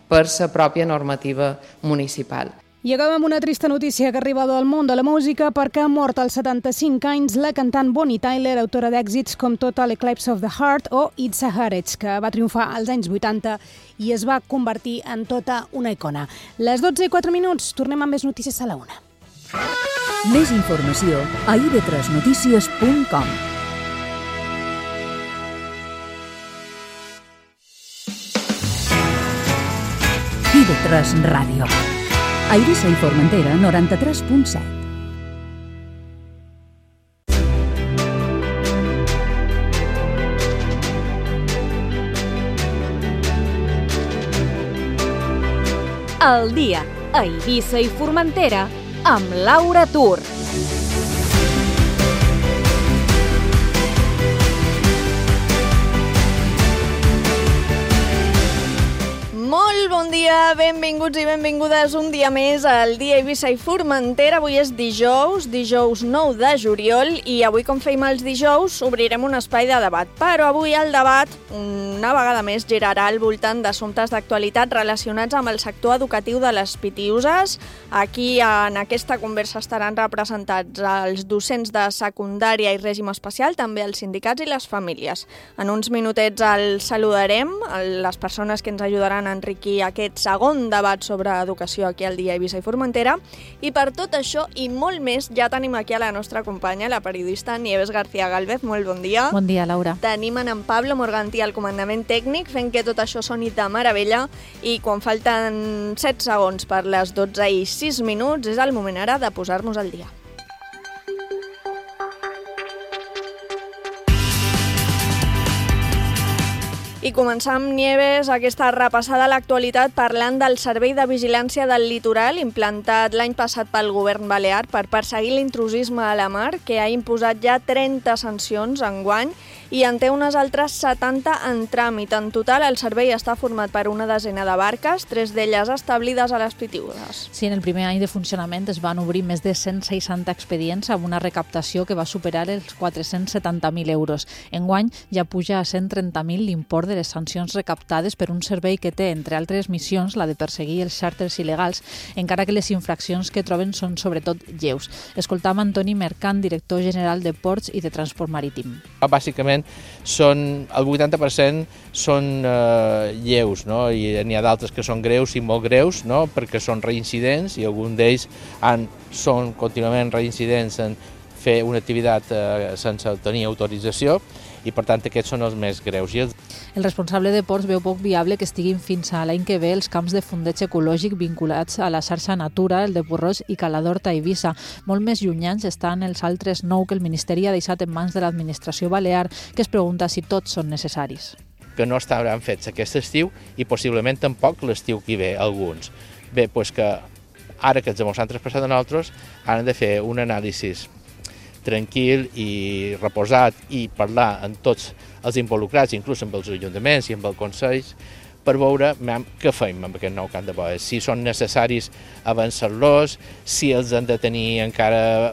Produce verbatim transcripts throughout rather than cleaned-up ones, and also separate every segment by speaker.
Speaker 1: per la pròpia normativa municipal.
Speaker 2: I acabem amb una trista notícia que arriba del món de la música perquè ha mort als setanta-cinc anys la cantant Bonnie Tyler, autora d'èxits com Total Eclipse of the Heart o It's a Heritage, que va triomfar als anys vuitanta i es va convertir en tota una icona. Les dotze i quatre minuts, tornem amb més notícies a la una.
Speaker 3: Més informació a i ve tres notícies punt com. i ve tres Ràdio. A Eivissa i Formentera, noranta-tres punt set.
Speaker 4: El dia a Eivissa i Formentera amb Laura Tur.
Speaker 5: Molt bon dia, benvinguts i benvingudes un dia més al dia Eivissa i Formentera. Avui és dijous, dijous nou de juliol i avui, com feim els dijous, obrirem un espai de debat. Però avui el debat, una vegada més, girarà al voltant d'assumptes d'actualitat relacionats amb el sector educatiu de les Pitiüses. Aquí, en aquesta conversa, estaran representats els docents de secundària i règim especial, també els sindicats i les famílies. En uns minutets els saludarem, les persones que ens ajudaran a enriquir aquest segon debat sobre educació aquí al dia Eivissa i Formentera. I per tot això i molt més ja tenim aquí a la nostra companya, la periodista Nieves García Gálvez. Molt bon dia.
Speaker 6: Bon dia, Laura.
Speaker 5: Tenim en Pablo Morgantí al comandament tècnic fent que tot això soni de meravella i quan falten set segons per les dotze i sis minuts és el moment ara de posar-nos al dia. I començar amb Nieves aquesta repassada a l'actualitat parlant del Servei de Vigilància del Litoral implantat l'any passat pel govern balear per perseguir l'intrusisme a la mar, que ha imposat ja trenta sancions enguany i en té unes altres setanta en tràmit. En total, el servei està format per una desena de barques, tres d'elles establides a les Pitiüses.
Speaker 6: Sí, en el primer any de funcionament es van obrir més de cent seixanta expedients amb una recaptació que va superar els quatre-cents setanta mil euros. Enguany ja puja a cent trenta mil l'import de les sancions recaptades per un servei que té, entre altres missions, la de perseguir els xàrters il·legals, encara que les infraccions que troben són sobretot lleus. Escoltam Antoni Mercant, director general de Ports i de Transport Marítim.
Speaker 7: Bàsicament, són, el vuitanta per cent són eh, lleus, no? I n'hi ha d'altres que són greus i molt greus, no? Perquè són reincidents i alguns d'ells han, són contínuament reincidents en fer una activitat eh, sense tenir autorització i per tant aquests són els més greus. I els...
Speaker 6: El responsable de Ports veu poc viable que estiguin fins a l'any que ve els camps de fondeig ecològic vinculats a la xarxa Natura, el de Porrós i Caladorta a Eivissa. Molt més llunyans estan els altres nou que el Ministeri ha deixat en mans de l'administració balear, que es pregunta si tots són necessaris.
Speaker 7: Que no estaran fets aquest estiu i possiblement tampoc l'estiu que ve alguns. Bé, doncs que ara que els ens han traspassat a nosaltres han de fer un anàlisi tranquil i reposat i parlar amb tots els involucrats, inclús amb els ajuntaments i amb els consells, per veure què fem amb aquest nou camp de boia, si són necessaris avançar-los, si els han de tenir encara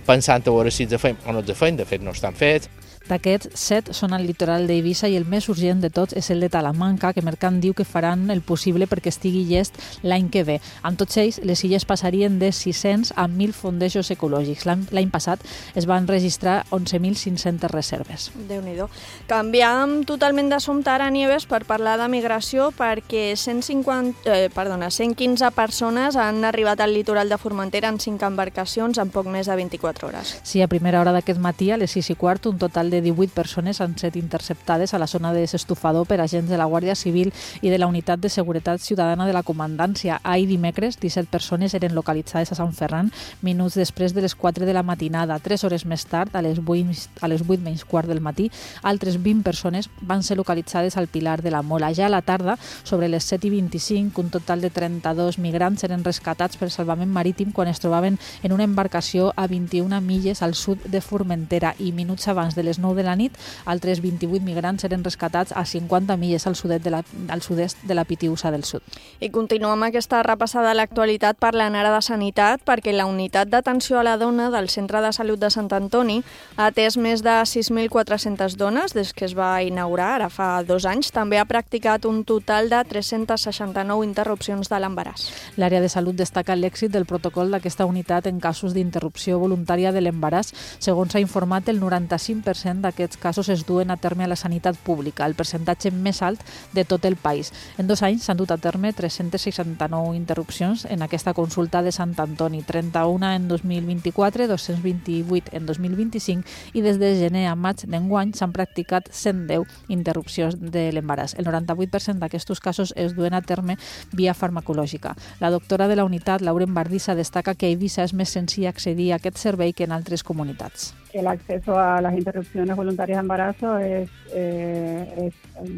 Speaker 7: pensant a veure si els fem o no els fem, de fet no estan fets.
Speaker 6: D'aquests, set són al litoral d'Eivissa i el més urgent de tots és el de Talamanca, que Mercant diu que faran el possible perquè estigui llest l'any que ve. Amb tots ells, les illes passarien de sis-cents a mil fondejos ecològics. L'any passat es van registrar onze mil cinc-centes reserves.
Speaker 5: Déu-n'hi-do. Canviam totalment d'assumpte ara, Nieves, per parlar de migració, perquè cent cinquanta, eh, perdona, cent quinze persones han arribat al litoral de Formentera en cinc embarcacions en poc més de vint-i-quatre hores.
Speaker 6: Sí, a primera hora d'aquest matí, a les sis i quart, un total de de divuit persones han set interceptades a la zona de desestufador per agents de la Guàrdia Civil i de la Unitat de Seguretat Ciutadana de la Comandància. Ahir dimecres, disset persones eren localitzades a Sant Ferran minuts després de les quatre de la matinada. Tres hores més tard, a les vuit menys quart del matí, altres vint persones van ser localitzades al Pilar de la Mola. Ja a la tarda, sobre les set i vint-i-cinc, un total de trenta-dos migrants eren rescatats per salvament marítim quan es trobaven en una embarcació a vint-i-una milles al sud de Formentera i minuts abans de les nou de la nit. Altres vint-i-vuit migrants eren rescatats a cinquanta milles al sud-est de la, al sud-est de la Pitiusa del Sud.
Speaker 5: I continuem aquesta repassada de l'actualitat parlant ara de sanitat, perquè la unitat d'atenció a la dona del Centre de Salut de Sant Antoni ha atès més de sis mil quatre-centes dones des que es va inaugurar, ara fa dos anys. També ha practicat un total de tres-centes seixanta-nou interrupcions de l'embaràs.
Speaker 6: L'àrea de salut destaca l'èxit del protocol d'aquesta unitat en casos d'interrupció voluntària de l'embaràs. Segons s'ha informat, el noranta-cinc per cent d'aquests casos es duen a terme a la sanitat pública, el percentatge més alt de tot el país. En dos anys s'han dut a terme tres-centes seixanta-nou interrupcions en aquesta consulta de Sant Antoni, trenta-una en dos mil vint-i-quatre, dos-cents vint-i-vuit en dos mil vint-i-cinc i des de gener a maig d'enguany s'han practicat cent deu interrupcions de l'embaràs. El noranta-vuit per cent d'aquests casos es duen a terme via farmacològica. La doctora de la unitat, Lauren Bardissa, destaca que a Eivissa és més senzill accedir a aquest servei que en altres comunitats.
Speaker 8: El acceso a las interrupciones voluntarias de embarazo es, eh, es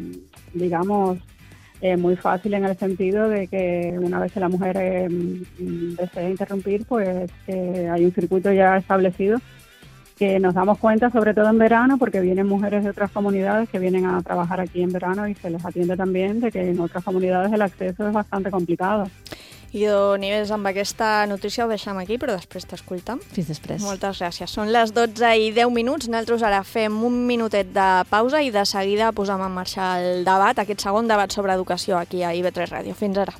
Speaker 8: digamos, eh, muy fácil en el sentido de que una vez que la mujer eh, desea interrumpir, pues eh, hay un circuito ya establecido que nos damos cuenta, sobre todo en verano, porque vienen mujeres de otras comunidades que vienen a trabajar aquí en verano y se les atiende también de que en otras comunidades el acceso es bastante complicado.
Speaker 5: I Nieves, amb aquesta notícia ho deixem aquí, però després t'escoltem.
Speaker 6: Fins després.
Speaker 5: Moltes gràcies. Són les dotze i deu minuts. Nosaltres ara fem un minutet de pausa i de seguida posem en marxa el debat, aquest segon debat sobre educació aquí a I V tres Ràdio. Fins ara.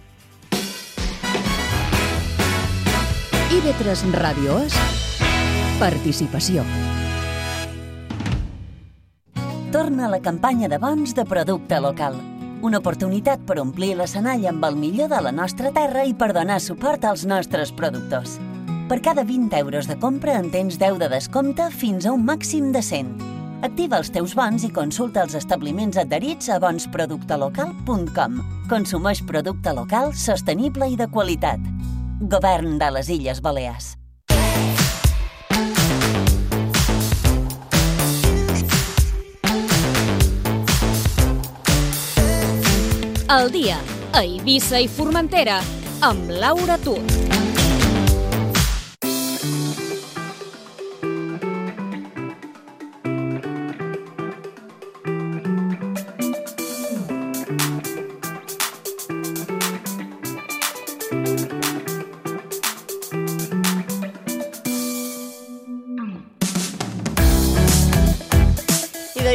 Speaker 3: I V tres Ràdio és participació. Torna la campanya de bons de producte local. Una oportunitat per omplir l'escenari amb el millor de la nostra terra i per donar suport als nostres productors. Per cada vint euros de compra en tens deu de descompte fins a un màxim de cent. Activa els teus bons i consulta els establiments adherits a bons producte local punt com. Consumeix producte local, sostenible i de qualitat. Govern de les Illes Balears.
Speaker 4: El dia a Eivissa i Formentera amb Laura Tur.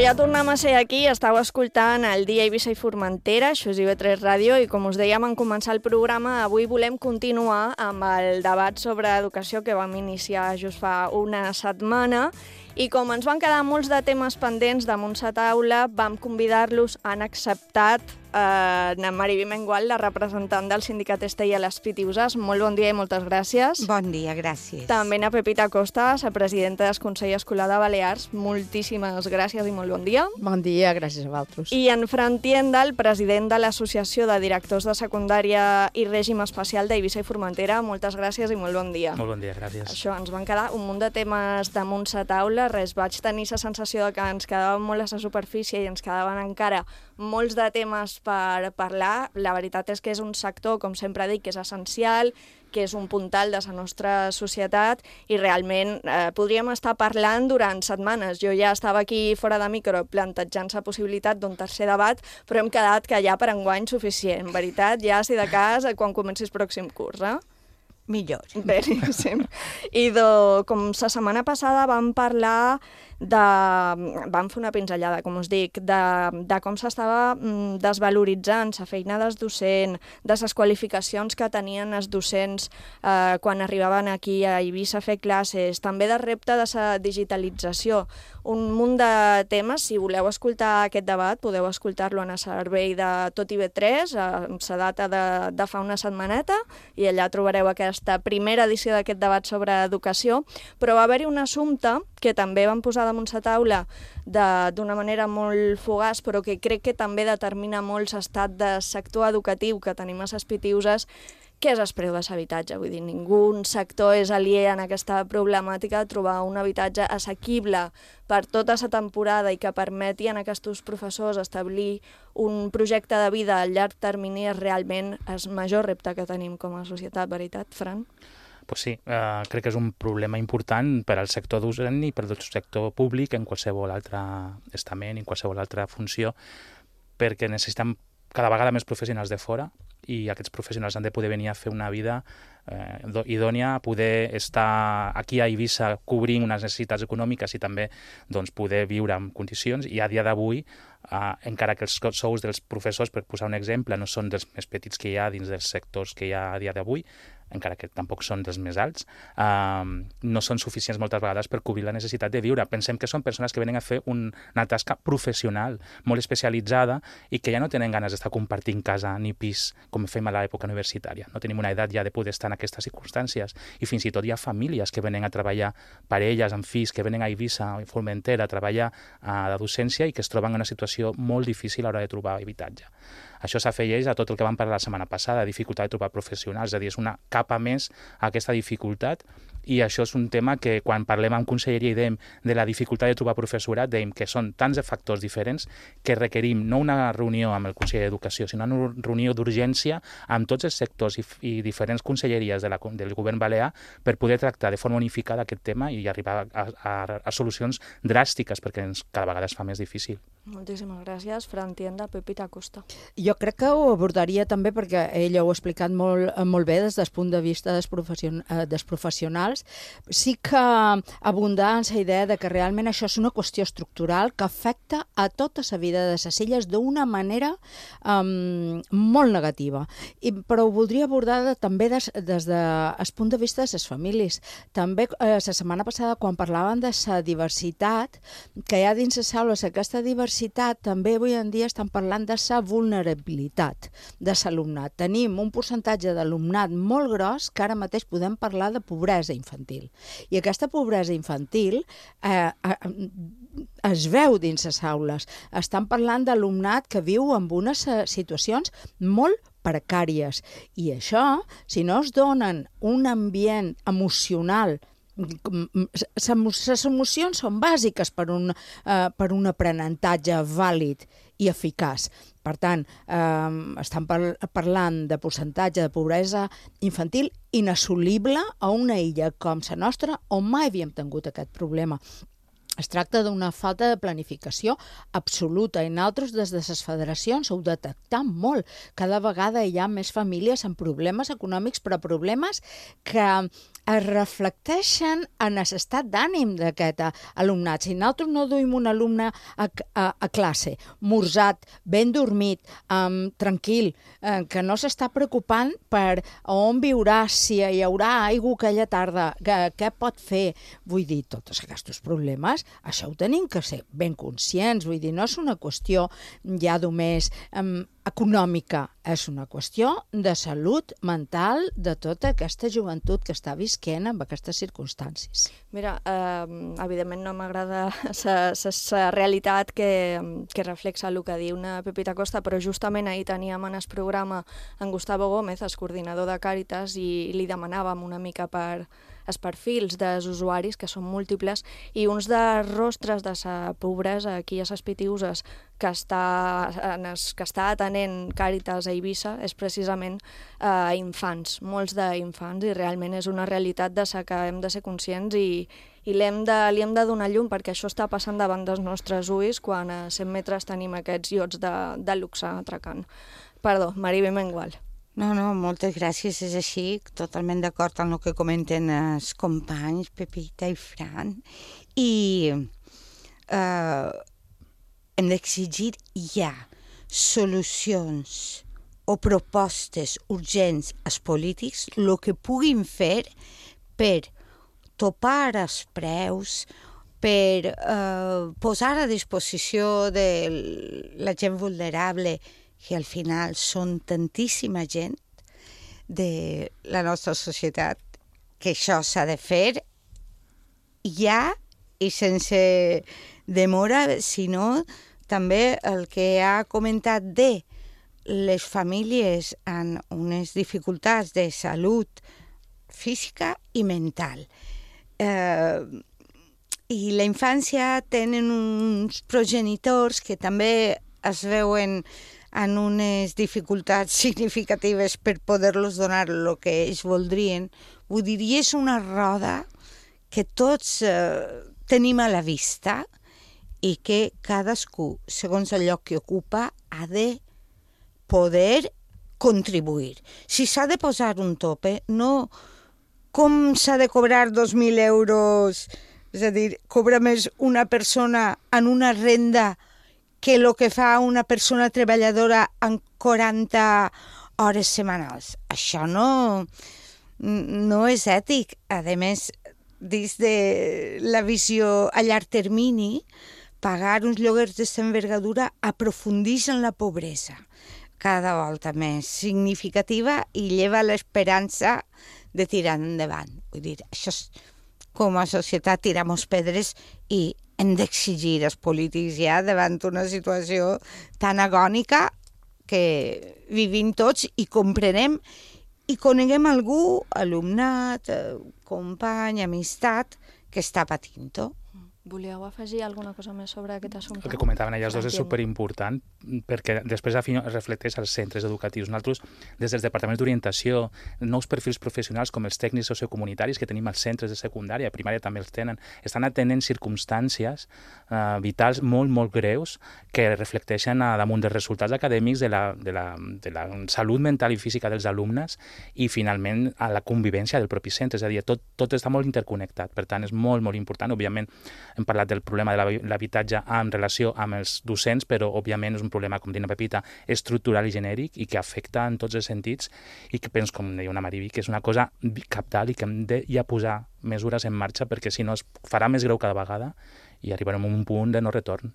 Speaker 5: Ja tornem a ser aquí, estàu escoltant el dia Eivissa i Formentera, això és I V tres Ràdio, i com us dèiem en començar el programa, avui volem continuar amb el debat sobre educació que vam iniciar just fa una setmana, i com ens van quedar molts de temes pendents damunt sa taula, vam convidar-los, han acceptat eh, na Mariví Mengual, la representant del sindicat Estell a les Pitiuses. Molt bon dia i moltes gràcies.
Speaker 9: Bon dia, gràcies.
Speaker 5: També na Pepita Costa, la presidenta del Consell Escolar de Balears. Moltíssimes gràcies i molt bon dia.
Speaker 1: Bon dia, gràcies a vosaltres.
Speaker 5: I en Fran Tienda, el president de l'Associació de Directors de Secundària i Règim Especial d'Eivissa i Formentera. Moltes gràcies i molt bon dia.
Speaker 10: Molt bon dia, gràcies.
Speaker 5: Això, ens van quedar un munt de temes damunt sa taula. Res, vaig tenir la sensació de que ens quedàvem molt a la superfície i ens quedaven encara molts de temes per parlar. La veritat és que és un sector, com sempre dic, que és essencial, que és un puntal de la nostra societat i realment eh, podríem estar parlant durant setmanes. Jo ja estava aquí fora de micro plantejant la possibilitat d'un tercer debat, però hem quedat que ja per enguany suficient. En veritat, ja si de cas, quan comenci el pròxim curs, eh?
Speaker 9: Millor.
Speaker 5: Beníssim. I do, com la setmana passada vam parlar de... vam fer una pinzellada, com us dic, de, de com s'estava desvaloritzant la feina dels docents, de les qualificacions que tenien els docents eh, quan arribaven aquí a Eivissa a fer classes, també del repte de la digitalització. Un munt de temes. Si voleu escoltar aquest debat, podeu escoltar-lo en el servei de tot I V tres, amb la data de, de fa una setmaneta, i allà trobareu aquesta primera edició d'aquest debat sobre educació. Però va haver-hi un assumpte que també vam posar damunt la taula d'una manera molt fugaç, però que crec que també determina molt l'estat de sector educatiu que tenim a les Pitiuses, que és el preu de l'habitatge. Vull dir, ningú sector és aliè en aquesta problemàtica de trobar un habitatge assequible per tota la temporada i que permeti a aquests professors establir un projecte de vida a llarg termini és realment el major repte que tenim com a societat, veritat, Fran?
Speaker 10: pues sí, eh, crec que és un problema important per al sector docent i per al sector públic en qualsevol altre estament, en qualsevol altra funció, perquè necessitem cada vegada més professionals de fora i aquests professionals han de poder venir a fer una vida eh, idònia, poder estar aquí a Eivissa cobrint unes necessitats econòmiques i també doncs, poder viure en condicions. I a dia d'avui, eh, encara que els sous dels professors, per posar un exemple, no són dels més petits que hi ha dins dels sectors que hi ha a dia d'avui, encara que tampoc són dels més alts, eh, no són suficients moltes vegades per cobrir la necessitat de viure. Pensem que són persones que venen a fer un, una tasca professional, molt especialitzada, i que ja no tenen ganes d'estar compartint casa ni pis, com fem a l'època universitària. No tenim una edat ja de poder estar en aquestes circumstàncies, i fins i tot hi ha famílies que venen a treballar, parelles amb fills que venen a Eivissa i Formentera a treballar a la docència i que es troben en una situació molt difícil a l'hora de trobar habitatge. Això s'afegeix a tot el que vam parlar la setmana passada, dificultat de trobar professionals, és a dir, és una capa més a aquesta dificultat, i això és un tema que quan parlem amb conselleria i dèiem de la dificultat de trobar professorat, dèiem que són tants de factors diferents que requerim no una reunió amb el conseller d'Educació, sinó una reunió d'urgència amb tots els sectors i, i diferents conselleries de la, del govern balear per poder tractar de forma unificada aquest tema i arribar a, a, a solucions dràstiques, perquè ens, cada vegada es fa més difícil.
Speaker 5: Moltíssimes gràcies. Fran Tienda, Pepita Costa.
Speaker 11: Jo crec que ho abordaria també perquè ella ho ha explicat molt, molt bé des del punt de vista dels, profession, dels professionals. Sí que abundar en la idea de que realment això és una qüestió estructural que afecta a tota la vida de les illes d'una manera um, molt negativa. I, però ho voldria abordar de, també des, des del punt de vista de les famílies. També eh, la setmana passada, quan parlaven de la diversitat que hi ha dins les aules, aquesta diversitat també avui en dia estan parlant de la vulnerabilitat de l'alumnat. Tenim un percentatge d'alumnat molt gros que ara mateix podem parlar de pobresa infantil. I aquesta pobresa infantil eh, eh, es veu dins les aules. Estan parlant d'alumnat que viu en unes situacions molt precàries. I això, si no es donen un ambient emocional, les emocions són bàsiques per un, uh, per un aprenentatge vàlid i eficaç. Per tant, eh, estan par parlant de percentatge de pobresa infantil inassolible a una illa com la nostra, on mai havíem tingut aquest problema. Es tracta d'una falta de planificació absoluta i nosaltres des de les federacions ho detectam molt. Cada vegada hi ha més famílies amb problemes econòmics, però problemes que es reflecteixen en l'estat d'ànim d'aquest alumnat. Si nosaltres no duim un alumne a, a, a classe, morsat, ben dormit, um, tranquil, eh, que no s'està preocupant per on viurà, si hi haurà aigua aquella tarda, que, què pot fer, vull dir, tots aquests problemes, això ho tenim que ser ben conscients, vull dir, no és una qüestió ja només um, econòmica, és una qüestió de salut mental de tota aquesta joventut que està visquent amb aquestes circumstàncies.
Speaker 5: Mira, eh, evidentment no m'agrada la realitat que, que reflexa el que diu una Pepita Costa, però justament ahir teníem en el programa en Gustavo Gómez, el coordinador de Càritas, i li demanàvem una mica per els perfils dels usuaris, que són múltiples, i uns dels rostres de la pobresa aquí a les Pitiuses que està, en els, que està atenent Càritas a Eivissa és precisament eh, infants, molts d'infants, i realment és una realitat de la que hem de ser conscients i, i li hem de, li hem de donar llum, perquè això està passant davant dels nostres ulls quan a cent metres tenim aquests iots de, de luxe atracant. Perdó, Maribel Mengual.
Speaker 9: No, no, moltes gràcies, és així, totalment d'acord amb el que comenten els companys, Pepita i Fran, i eh, hem d'exigir ja solucions o propostes urgents als polítics, el que puguin fer per topar els preus, per eh, posar a disposició de la gent vulnerable, que al final són tantíssima gent de la nostra societat, que això s'ha de fer ja i sense demora, sinó també el que ha comentat de les famílies amb unes dificultats de salut física i mental. Eh, I la infància tenen uns progenitors que també es veuen en unes dificultats significatives per poder-los donar el que ells voldrien. Vull dir, i és una roda que tots eh, tenim a la vista i que cadascú, segons el lloc que ocupa, ha de poder contribuir. Si s'ha de posar un tope, no com s'ha de cobrar dos mil euros, és a dir, cobra més una persona en una renda que el que fa una persona treballadora en quaranta hores setmanals. Això no, no és ètic. A més, dins de la visió a llarg termini, pagar uns lloguers d'aquesta envergadura aprofundeix en la pobresa cada volta més significativa i lleva l'esperança de tirar endavant. Vull dir, això és, com a societat tiramos pedres i hem d'exigir als polítics ja davant una situació tan agònica que vivim tots i comprenem i coneguem algú, alumnat, company, amistat, que està patint-ho.
Speaker 5: Volíeu afegir alguna cosa més sobre aquest assumpte?
Speaker 10: El que comentaven elles dos és superimportant perquè després reflecteix als centres educatius. Nosaltres, des dels departaments d'orientació, nous perfils professionals com els tècnics sociocomunitaris que tenim als centres de secundària, primària també els tenen, estan atenent circumstàncies uh, vitals molt, molt greus que reflecteixen a damunt dels resultats acadèmics de la, de, la, de la salut mental i física dels alumnes i, finalment, a la convivència del propi centre. És a dir, tot, tot està molt interconnectat. Per tant, és molt, molt important. Òbviament, hem parlat del problema de l'habitatge en relació amb els docents, però òbviament és un problema, com diu la Pepita, estructural i genèric i que afecta en tots els sentits i que penso, com deia una Mariví, que és una cosa cabdal i que hem de ja posar mesures en marxa perquè si no es farà més greu cada vegada i arribarem a un punt de no retorn.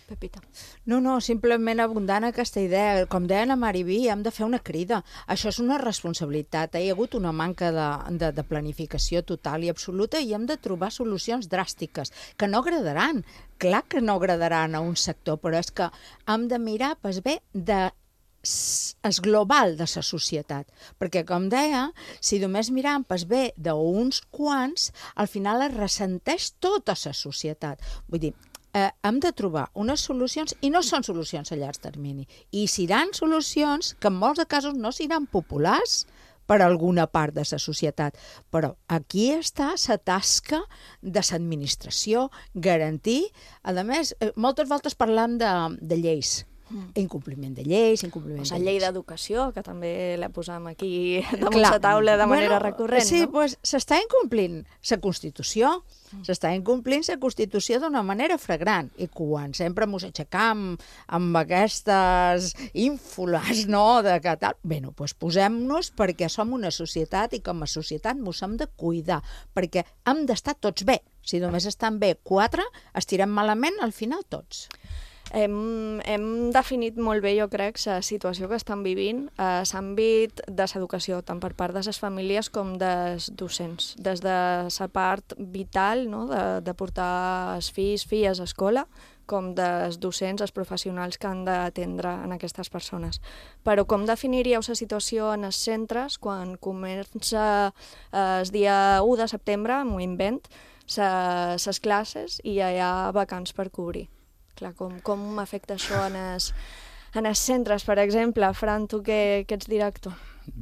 Speaker 5: Pepita.
Speaker 11: No, no, simplement abundant aquesta idea. Com deia la Mariví, hem de fer una crida. Això és una responsabilitat. Hi ha hagut una manca de, de, de planificació total i absoluta i hem de trobar solucions dràstiques que no agradaran. Clar que no agradaran a un sector, però és que hem de mirar pues, bé de és global de la societat, perquè com deia, si només mirem pues bé d'uns quants, al final es ressenteix tota la societat. Vull dir, Eh, hem de trobar unes solucions i no són solucions a llarg termini i seran solucions que en molts de casos no seran populars per a alguna part de la societat, però aquí està la tasca de l'administració, garantir, a més, eh, moltes voltes parlam de, de lleis, Mm. incompliment de lleis, incompliment
Speaker 5: o sigui,
Speaker 11: de
Speaker 5: llei
Speaker 11: lleis.
Speaker 5: d'educació, que també la posam aquí damunt la taula de manera
Speaker 11: bueno,
Speaker 5: recurrent,
Speaker 11: sí,
Speaker 5: no?
Speaker 11: pues, s'està incomplint la Constitució, mm. s'està incomplint la Constitució d'una manera flagrant, i quan sempre ens aixecam amb aquestes ínfoles, no?, de que tal... Bé, no, pues posem-nos perquè som una societat i com a societat ens hem de cuidar, perquè hem d'estar tots bé. Si només estan bé quatre, estirem malament al final tots.
Speaker 5: Hem, hem definit molt bé, jo crec, la situació que estan vivint a l'àmbit de l'educació, tant per part de les famílies com dels docents. Des de la part vital, no?, de, de portar els fills, filles a escola, com dels docents, els professionals que han d'atendre en aquestes persones. Però com definiríeu la situació en els centres quan comença el dia u de setembre, m'ho invent, les classes i hi ha vacants per cobrir? Clar, com, com afecta això en els, en els centres, per exemple? Fran, tu que, que ets director.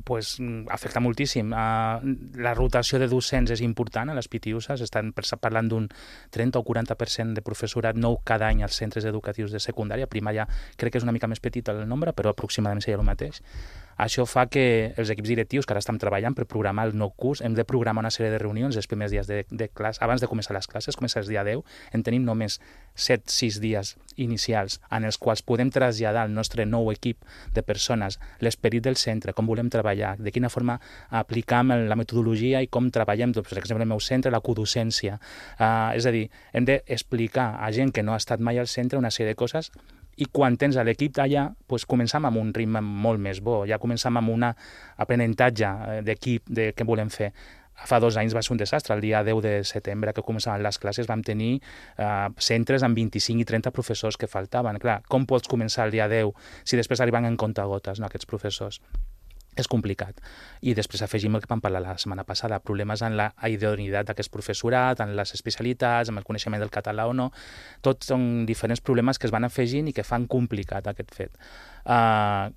Speaker 10: Pues, afecta moltíssim. Uh, la rotació de docents és important a les Pitiusas, estan parlant d'un trenta o quaranta per cent de professorat nou cada any als centres educatius de secundària, primària crec que és una mica més petit el nombre, però aproximadament seria el mateix. Això fa que els equips directius, que ara estem treballant per programar el nou curs, hem de programar una sèrie de reunions els primers dies de, de classe, abans de començar les classes, comença el dia deu, en tenim només set sis dies inicials en els quals podem traslladar al nostre nou equip de persones l'esperit del centre, com volem treballar, de quina forma aplicam la metodologia i com treballem, doncs, per exemple, el meu centre, la codocència. Uh, és a dir, hem d'explicar a gent que no ha estat mai al centre una sèrie de coses i quan tens l'equip d'allà, doncs començam amb un ritme molt més bo, ja començam amb un aprenentatge d'equip de què volem fer. Fa dos anys va ser un desastre. El dia deu de setembre, que començaven les classes, vam tenir uh, centres amb vint-i-cinc i trenta professors que faltaven. Clar, com pots començar el dia deu si després arriben en comptagotes, no, aquests professors? és complicat. I després afegim el que vam parlar la setmana passada, problemes en la idoneïtat d'aquest professorat, en les especialitats, en el coneixement del català o no. Tots són diferents problemes que es van afegint i que fan complicat aquest fet. Uh,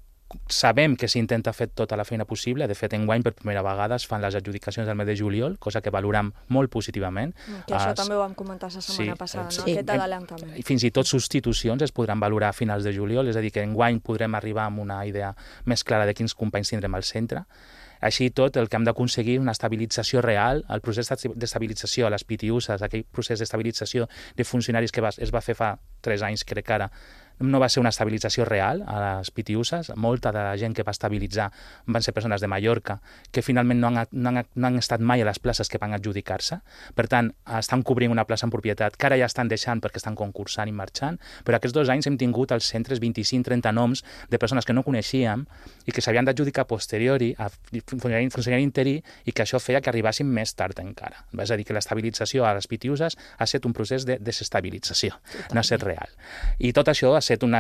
Speaker 10: Sabem que s'intenta fer tota la feina possible. De fet, enguany per primera vegada es fan les adjudicacions del mes de juliol, cosa que valorem molt positivament.
Speaker 5: Que això uh, també ho vam comentar la setmana sí, passada, no? Sí. Aquest adelantament.
Speaker 10: Fins i tot substitucions es podran valorar a finals de juliol, és a dir, que enguany podrem arribar amb una idea més clara de quins companys tindrem al centre. Així i tot, el que hem d'aconseguir una estabilització real, el procés d'estabilització a les P T Us, aquell procés d'estabilització de funcionaris que es va fer fa tres anys, crec que ara, no va ser una estabilització real a les P T Us. Molta de la gent que va estabilitzar van ser persones de Mallorca que finalment no han, no han, no han estat mai a les places que van adjudicar-se. Per tant, estan cobrint una plaça en propietat que ara ja estan deixant perquè estan concursant i marxant, però aquests dos anys hem tingut als centres vint-i-cinc trenta noms de persones que no coneixíem i que s'havien d'adjudicar a posteriori a funcionari, funcionari interí i que això feia que arribessin més tard encara. És a dir, que l'estabilització a les P T Us ha estat un procés de desestabilització, Totalment. no ha estat real. I tot això ha estat un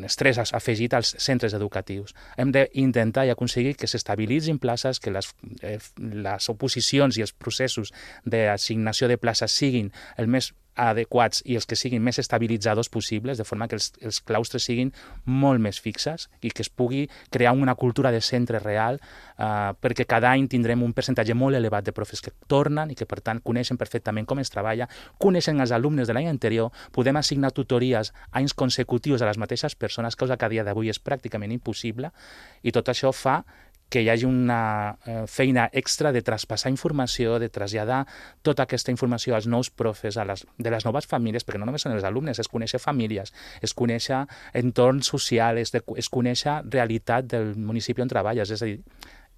Speaker 10: estrès afegit als centres educatius. Hem d'intentar i aconseguir que s'estabilitzin places, que les, eh, les oposicions i els processos d'assignació de places siguin el més adequats i els que siguin més estabilitzadors possibles, de forma que els, els claustres siguin molt més fixes i que es pugui crear una cultura de centre real, eh, perquè cada any tindrem un percentatge molt elevat de profes que tornen i que, per tant, coneixen perfectament com es treballa, coneixen els alumnes de l'any anterior, podem assignar tutories anys consecutius a les mateixes persones, cosa que a dia d'avui és pràcticament impossible, i tot això fa que hi hagi una eh, feina extra de traspassar informació, de traslladar tota aquesta informació als nous profes, a les, de les noves famílies, perquè no només són els alumnes, és conèixer famílies, és conèixer entorn social, és, de, és conèixer realitat del municipi on treballes, és a dir,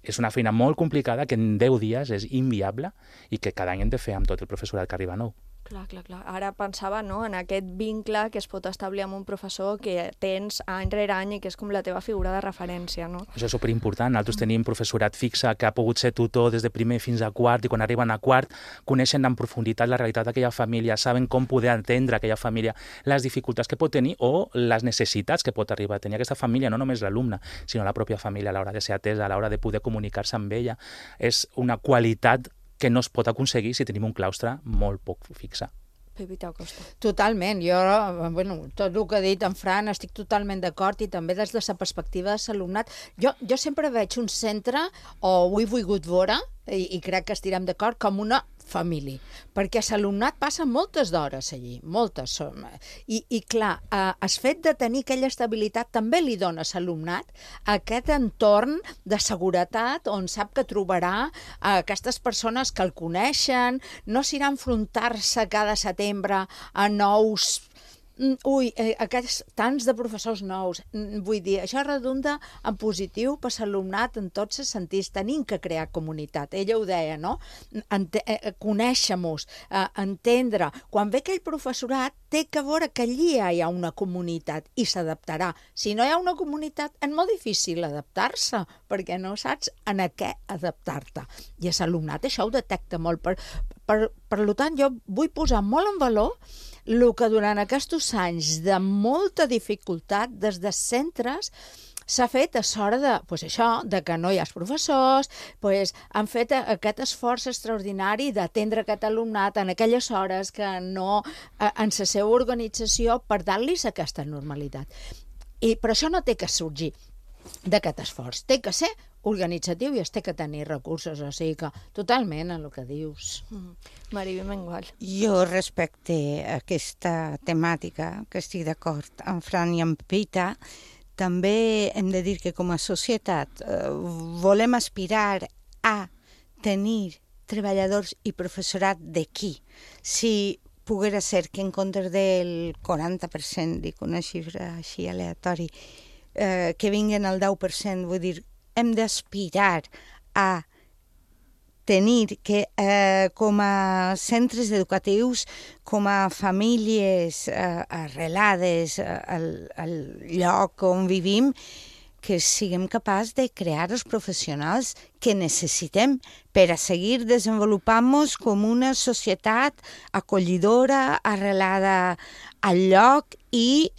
Speaker 10: és una feina molt complicada que en deu dies és inviable i que cada any hem de fer amb tot el professorat que arriba nou.
Speaker 5: Clar, clar, clar. Ara pensava, no?, en aquest vincle que es pot establir amb un professor que tens any rere any i que és com la teva figura de referència, no?
Speaker 10: Això és superimportant. Nosaltres tenim professorat fixe que ha pogut ser tutor des de primer fins a quart i quan arriben a quart coneixen en profunditat la realitat d'aquella família, saben com poder atendre aquella família, les dificultats que pot tenir o les necessitats que pot arribar a tenir aquesta família, no només l'alumne, sinó la pròpia família a l'hora de ser atesa, a l'hora de poder comunicar-se amb ella. És una qualitat que no es pot aconseguir si tenim un claustre molt poc fixe.
Speaker 5: Pepita Acosta.
Speaker 11: Totalment. Jo, bueno, tot el que ha dit en Fran estic totalment d'acord i també des de la perspectiva de l'alumnat. Jo, jo sempre veig un centre, o ho he volgut veure, i, i crec que estirem d'acord, com una família, perquè l'alumnat passa moltes d'hores allí, moltes. I, i clar, eh, el fet de tenir aquella estabilitat també li dona a l'alumnat aquest entorn de seguretat on sap que trobarà eh, aquestes persones que el coneixen, no s'irà a enfrontar-se cada setembre a nous Ui, eh, aquests tants de professors nous, vull dir, això redunda en positiu per l'alumnat en tots els sentits. Tenim que crear comunitat. Ella ho deia, no? Ente eh, conèixer-nos, eh, entendre. Quan ve aquell professorat, té que veure que allí hi ha una comunitat i s'adaptarà. Si no hi ha una comunitat, és molt difícil adaptar-se, perquè no saps en a què adaptar-te. I l'alumnat això ho detecta molt. Per, per, per tant, jo vull posar molt en valor el que durant aquests anys de molta dificultat des de centres s'ha fet a l'hora de, pues això, de que no hi ha professors, pues han fet aquest esforç extraordinari d'atendre aquest alumnat en aquelles hores que no, en la seva organització, per dar-los aquesta normalitat. I per això no té que sorgir d'aquest esforç, té que ser organitzatiu i es té que tenir recursos, o sigui que totalment en el que dius.
Speaker 5: Mm. Mariby Mengual.
Speaker 9: Jo respecte a aquesta temàtica, que estic d'acord amb Fran i amb Pepita, també hem de dir que com a societat eh, volem aspirar a tenir treballadors i professorat d'aquí. Si poguera ser que en comptes del quaranta per cent, dic una xifra així aleatori, eh, que vinguen al deu per cent, vull dir, hem d'aspirar a tenir que eh, com a centres educatius, com a famílies eh, arrelades al, al lloc on vivim, que siguem capaços de crear els professionals que necessitem per a seguir desenvolupant-nos com una societat acollidora, arrelada al lloc i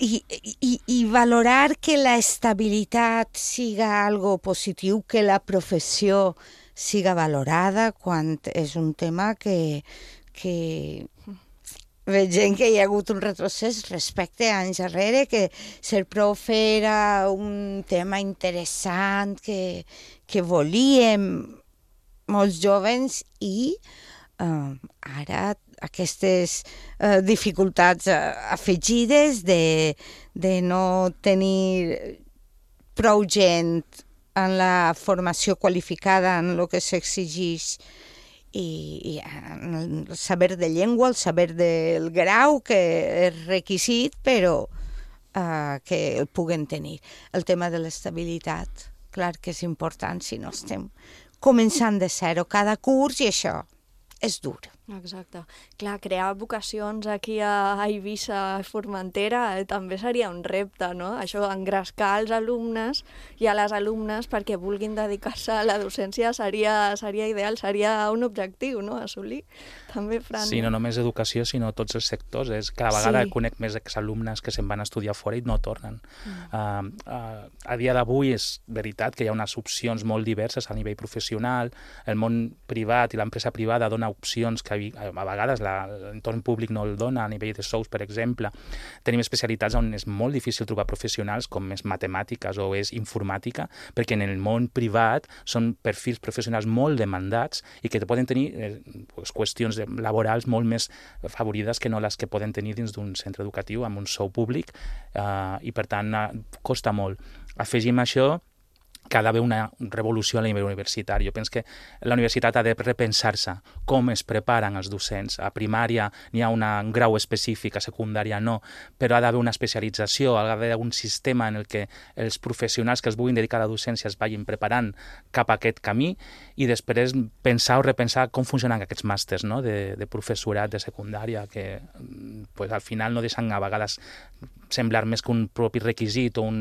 Speaker 9: i, i, i valorar que la estabilitat siga algo positiu, que la professió siga valorada quan és un tema que, que veig que hi ha hagut un retrocés respecte a anys darrere, que ser profe era un tema interessant, que, que volíem molts joves i uh, ara aquestes uh, dificultats uh, afegides de, de no tenir prou gent en la formació qualificada en el que s'exigeix i, i el saber de llengua, el saber del grau, que és requisit, però uh, que el puguen tenir. El tema de l'estabilitat, clar que és important si no estem començant de zero cada curs i això és dur.
Speaker 5: Exacte. Clar, crear vocacions aquí a Eivissa, a Formentera, eh, també seria un repte, no? Això, engrescar els alumnes i a les alumnes perquè vulguin dedicar-se a la docència seria, seria ideal, seria un objectiu, no?, assolir. També, Fran.
Speaker 10: Sí, no només educació, sinó tots els sectors. És, cada vegada
Speaker 5: Sí.
Speaker 10: conec més exalumnes que se'n van a estudiar fora i no tornen.
Speaker 5: Mm.
Speaker 10: Uh, uh, a dia d'avui és veritat que hi ha unes opcions molt diverses a nivell professional. El món privat i l'empresa privada dona opcions que a vegades l'entorn públic no el dona, a nivell de sous, per exemple. Tenim especialitats on és molt difícil trobar professionals, com és matemàtiques o és informàtica, perquè en el món privat són perfils professionals molt demandats i que poden tenir eh, pues, qüestions laborals molt més favorides que no les que poden tenir dins d'un centre educatiu amb un sou públic eh, i, per tant, eh, costa molt. Afegim això que ha d'haver una revolució a nivell universitari. Jo penso que la universitat ha de repensar-se com es preparen els docents. A primària n'hi ha una, un grau específic, a secundària no, però ha d'haver una especialització, ha d'haver un sistema en el que els professionals que es vulguin dedicar a la docència es vagin preparant cap a aquest camí i després pensar o repensar com funcionen aquests màsters, no?, de, de professorat de secundària, que pues, al final no deixen a vegades semblar més que un propi requisit o un,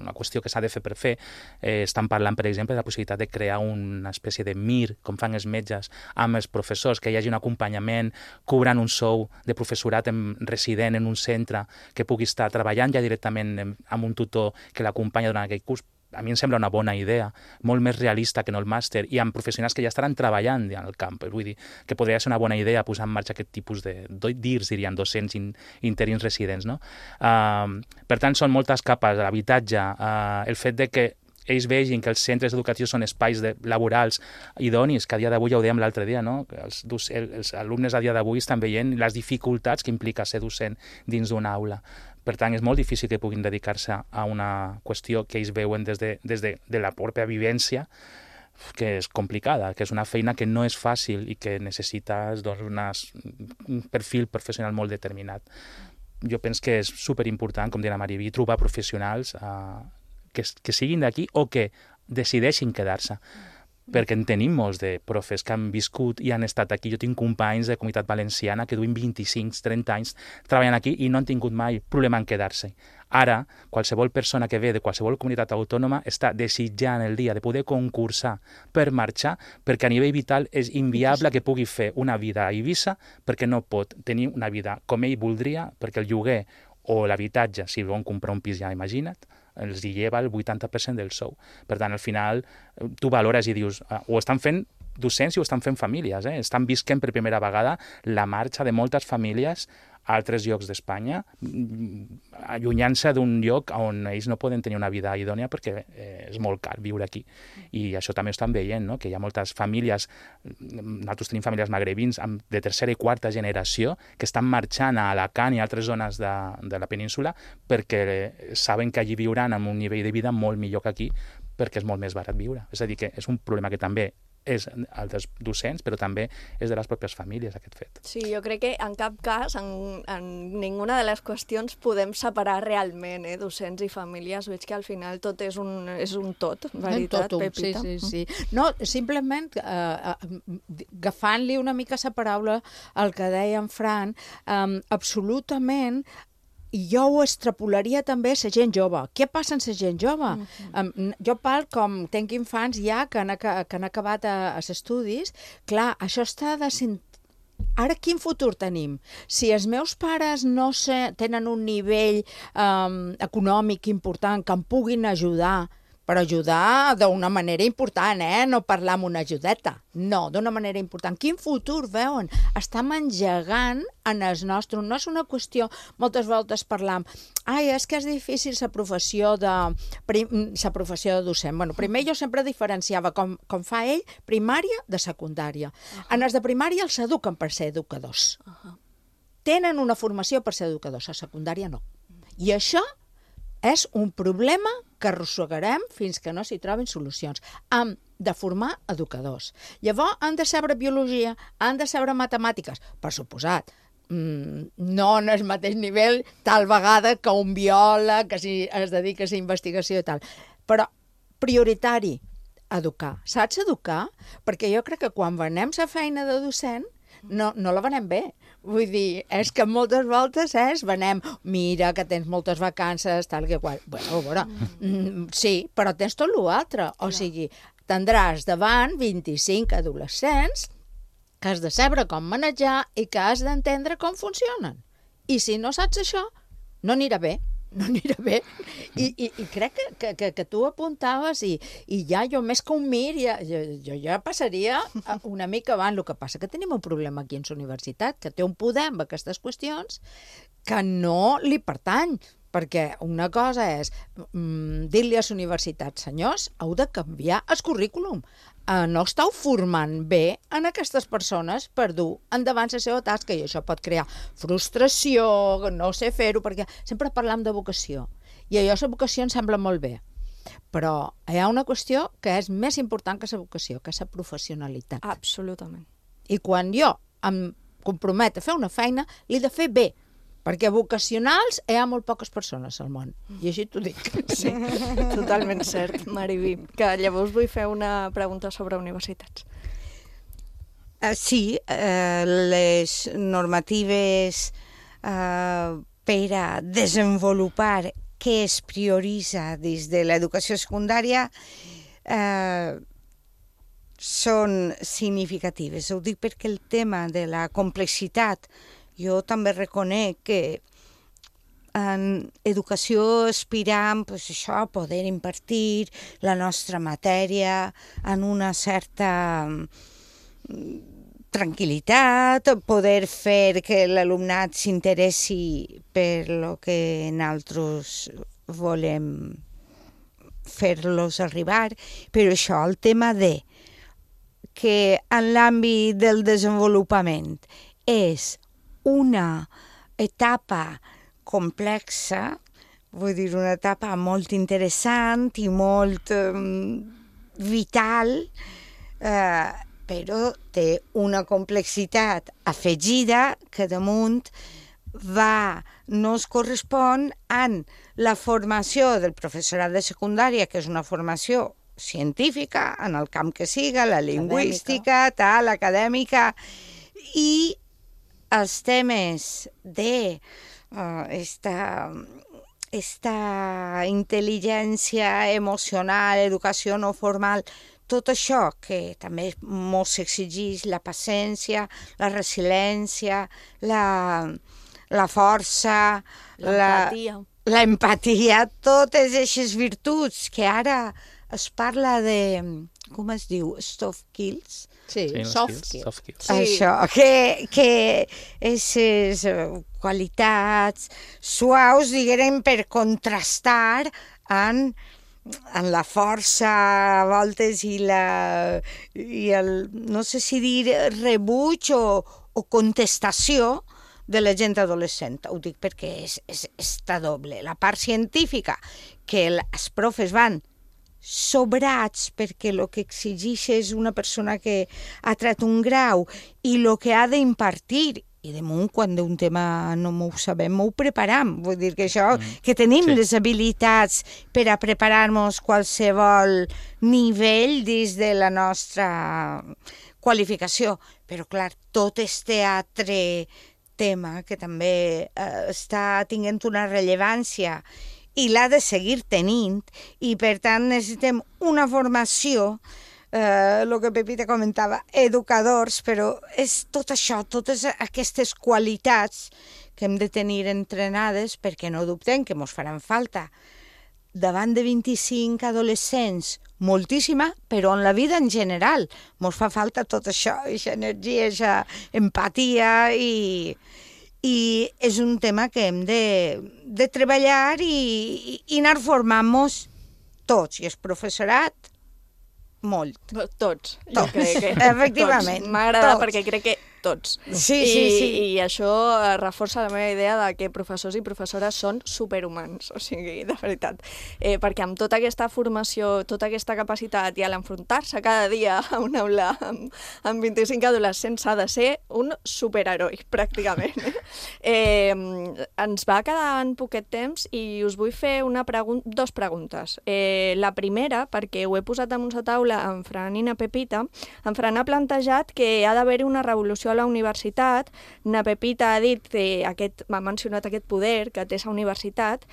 Speaker 10: una qüestió que s'ha de fer per fer. Eh, estan parlant, per exemple, de la possibilitat de crear una espècie de M I R, com fan els metges, amb els professors, que hi hagi un acompanyament, cobrant un sou de professorat en, resident en un centre, que pugui estar treballant ja directament amb un tutor que l'acompanya durant aquell curs. A mi em sembla una bona idea, molt més realista que no el màster, i amb professionals que ja estaran treballant en el camp. Vull dir que podria ser una bona idea posar en marxa aquest tipus de D I R S, dirien, docents in, interins residents. No? Uh, per tant, són moltes capes, l'habitatge, uh, el fet de que ells vegin que els centres educatius són espais de, laborals idonis, que a dia d'avui ja ho dèiem l'altre dia, no? els, els alumnes a dia d'avui estan veient les dificultats que implica ser docent dins d'una aula. Per tant, és molt difícil que puguin dedicar-se a una qüestió que ells veuen des de, des de, de la pròpia vivència, que és complicada, que és una feina que no és fàcil i que necessites doncs, unes, un perfil professional molt determinat. Jo penso que és superimportant, com deia la Mariví, trobar professionals eh, que, que siguin d'aquí o que decideixin quedar-se. Perquè en tenim molts de profes que han viscut i han estat aquí. Jo tinc companys de Comunitat Valenciana que duien vint-i-cinc trenta anys treballant aquí i no han tingut mai problema en quedar-se. Ara, qualsevol persona que ve de qualsevol comunitat autònoma està desitjant el dia de poder concursar per marxar, perquè a nivell vital és inviable que pugui fer una vida a Eivissa perquè no pot tenir una vida com ell voldria, perquè el lloguer o l'habitatge, si volen comprar un pis ja, imagina't, els hi lleva el vuitanta per cent del sou. Per tant, al final, tu valores i dius, ah, ho estan fent docents i ho estan fent famílies, eh? Estan visquent per primera vegada la marxa de moltes famílies a altres llocs d'Espanya, allunyant-se d'un lloc on ells no poden tenir una vida idònia perquè eh, és molt car viure aquí. I això també ho estan veient, no? Que hi ha moltes famílies, nosaltres tenim famílies magrebins de tercera i quarta generació que estan marxant a Alacant i a altres zones de, de la península perquè saben que allí viuran amb un nivell de vida molt millor que aquí perquè és molt més barat viure. És a dir, que és un problema que també és el dels docents, però també és de les pròpies famílies, aquest fet.
Speaker 5: Sí, jo crec que en cap cas, en, en ninguna de les qüestions podem separar realment eh, docents i famílies. Veig que al final tot és un, és un tot, veritat,
Speaker 11: tot,
Speaker 5: Pepita?
Speaker 11: Sí, sí, sí. No, simplement eh, agafant-li una mica la paraula al que deia en Fran, eh, absolutament i jo ho extrapolaria també a la gent jove. Què passa amb la gent jove? Mm-hmm. Um, jo parlo com tenc infants ja que han, que han acabat a, a estudis. Clar, això està de Ara, quin futur tenim? Si els meus pares no sé, tenen un nivell um, econòmic important que em puguin ajudar, però ajudar d'una manera important, eh? No parlar amb una ajudeta. No, d'una manera important. Quin futur veuen? Estem engegant en els nostres... No és una qüestió, moltes voltes parlam, ai, és que és difícil la professió de, la professió de docent. Bueno, primer jo sempre diferenciava, com, com fa ell, primària de secundària. Uh-huh. En els de primària els eduquen per ser educadors. Uh-huh. Tenen una formació per ser educadors, a secundària no. I això és un problema que arrossegarem fins que no s'hi trobin solucions. Hem de formar educadors. Llavors, han de saber biologia, han de saber matemàtiques, per suposat. Mm, no en el mateix nivell, tal vegada que un biòleg que si es dedica a la investigació i tal. Però prioritari, educar. Saps educar? Perquè jo crec que quan venem la feina de docent, no, no la venem bé. Vull dir, és que moltes voltes és, venem, mira que tens moltes vacances, tal que qual. Bueno, bueno, mm, sí, però tens tot l'altre. O sigui, tindràs davant vint-i-cinc adolescents que has de saber com manejar i que has d'entendre com funcionen. I si no saps això, no anirà bé. No anirà bé. I, i, i crec que, que, que, que tu apuntaves i, i ja jo més que un mir, ja, jo, jo ja passaria una mica avant. El que passa que tenim un problema aquí en la universitat, que té un poder amb aquestes qüestions que no li pertany. Perquè una cosa és mm, dir-li a la universitat, senyors, heu de canviar el currículum. Uh, no esteu formant bé en aquestes persones per dur endavant la seva tasca i això pot crear frustració, no sé fer-ho, perquè sempre parlam de vocació. I allò, la vocació em sembla molt bé. Però hi ha una qüestió que és més important que la vocació, que és la professionalitat.
Speaker 5: Absolutament.
Speaker 11: I quan jo em comprometo a fer una feina, l'he de fer bé. Perquè vocacionals hi ha molt poques persones al món, i així t'ho dic.
Speaker 5: Sí, totalment cert, Mariví. Que llavors vull fer una pregunta sobre universitats.
Speaker 9: Uh, sí, uh, les normatives uh, per a desenvolupar què es prioritza des de l'educació secundària uh, són significatives. Ho dic perquè el tema de la complexitat, jo també reconec que en educació aspirem pues, això, a poder impartir la nostra matèria en una certa tranquil·litat, poder fer que l'alumnat s'interessi per lo que nosaltres volem fer-los arribar, però això, el tema de que en l'àmbit del desenvolupament és una etapa complexa, vull dir, una etapa molt interessant i molt um, vital, eh, però té una complexitat afegida que damunt va, no es correspon amb la formació del professorat de secundària, que és una formació científica, en el camp que siga, la lingüística, tal, acadèmica, i els temes de uh, esta, esta intel·ligència emocional, educació no formal, tot això que també mos exigeix la paciència, la resiliència, la, la força, l'empatia, la, l'empatia, totes aquestes virtuts que ara es parla de, com es diu, soft skills?
Speaker 11: Sí, sí, soft skills.
Speaker 10: Soft skills.
Speaker 9: Sí. Això, que, que aquestes qualitats suaus, diguem, per contrastar en, en la força a voltes i la, i el, no sé si dir rebuig o, o contestació de la gent adolescent. Ho dic perquè és, és, està doble. La part científica, que els profes van sobrats perquè el que exigeix és una persona que ha tret un grau i el que ha d'impartir, i de munt quan d'un tema no m'ho sabem, m'ho preparam. Vull dir que això, que tenim sí. les habilitats per a preparar-nos qualsevol nivell des de la nostra qualificació. Però, clar, tot este altre tema que també eh, està tinguent una rellevància i l'ha de seguir tenint, i per tant necessitem una formació eh, el que Pepita comentava, educadors, però és tot això, totes aquestes qualitats que hem de tenir entrenades perquè no dubtem que ens faran falta. Davant de vint-i-cinc adolescents, moltíssima, però en la vida en general ens fa falta tot això, aquesta energia, aquesta empatia i, i és un tema que hem de, de treballar i, i anar formant-nos tots, i el professorat, molt.
Speaker 5: Tots, jo
Speaker 9: tots.
Speaker 5: crec que
Speaker 9: efectivament.
Speaker 5: M'ha agradat perquè crec que tots.
Speaker 9: Sí,
Speaker 5: I,
Speaker 9: sí, sí.
Speaker 5: I això reforça la meva idea de que professors i professores són superhumans, o sigui, de veritat. Eh, perquè amb tota aquesta formació, tota aquesta capacitat i a l'enfrontar-se cada dia a una aula amb, amb vint-i-cinc adolescents s'ha de ser un superheroi, pràcticament. Eh, ens va quedar en poquet temps i us vull fer una pregun dos preguntes. Eh, la primera, perquè ho he posat damunt la taula en Fran i na Pepita, en Fran ha plantejat que ha d'haver-hi una revolució a la universitat. Na Pepita ha dit que aquest, m'ha mencionat aquest poder que té la universitat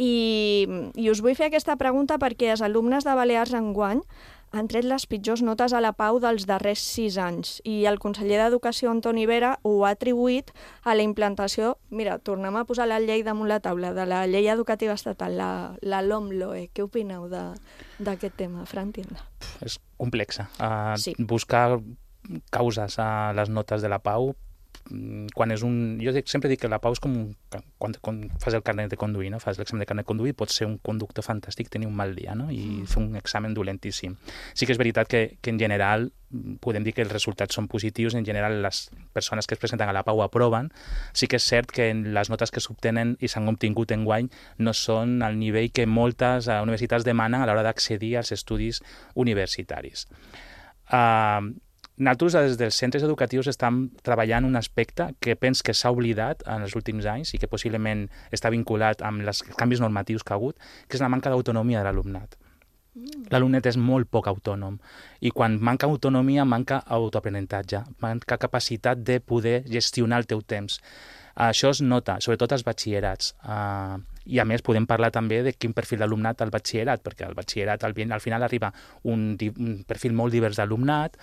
Speaker 5: i, i us vull fer aquesta pregunta perquè els alumnes de Balears enguany han tret les pitjors notes a la Pau dels darrers sis anys i el conseller d'Educació, Antoni Vera, ho ha atribuït a la implantació, mira, tornem a posar la llei damunt la taula, de la llei educativa estatal, la, la LOMLOE. Què opineu d'aquest tema, Fran Tienda?
Speaker 10: És complexa. Uh,
Speaker 5: Sí.
Speaker 10: Buscar causes a les notes de la Pau, quan és un... Jo dic, sempre dic que la Pau és com un, quan, quan fas el carnet de conduir, no? Fas l'examen de carnet de conduir, pots ser un conductor fantàstic, tenir un mal dia, no? I mm. fer un examen dolentíssim. Sí que és veritat que, que en general podem dir que els resultats són positius, en general les persones que es presenten a la Pau aproven. Sí que és cert que les notes que s'obtenen i s'han obtingut enguany no són al nivell que moltes universitats demanen a l'hora d'accedir als estudis universitaris. Uh, Nosaltres, des dels centres educatius, estem treballant un aspecte que penso que s'ha oblidat en els últims anys i que possiblement està vinculat amb els canvis normatius que ha hagut, que és la manca d'autonomia de l'alumnat. Mm. L'alumnet és molt poc autònom i quan manca autonomia manca autoaprenentatge, manca capacitat de poder gestionar el teu temps. Això es nota, sobretot als batxillerats. Uh, I a més podem parlar també de quin perfil d'alumnat al batxillerat, perquè al batxillerat al, al final arriba un, un perfil molt divers d'alumnat,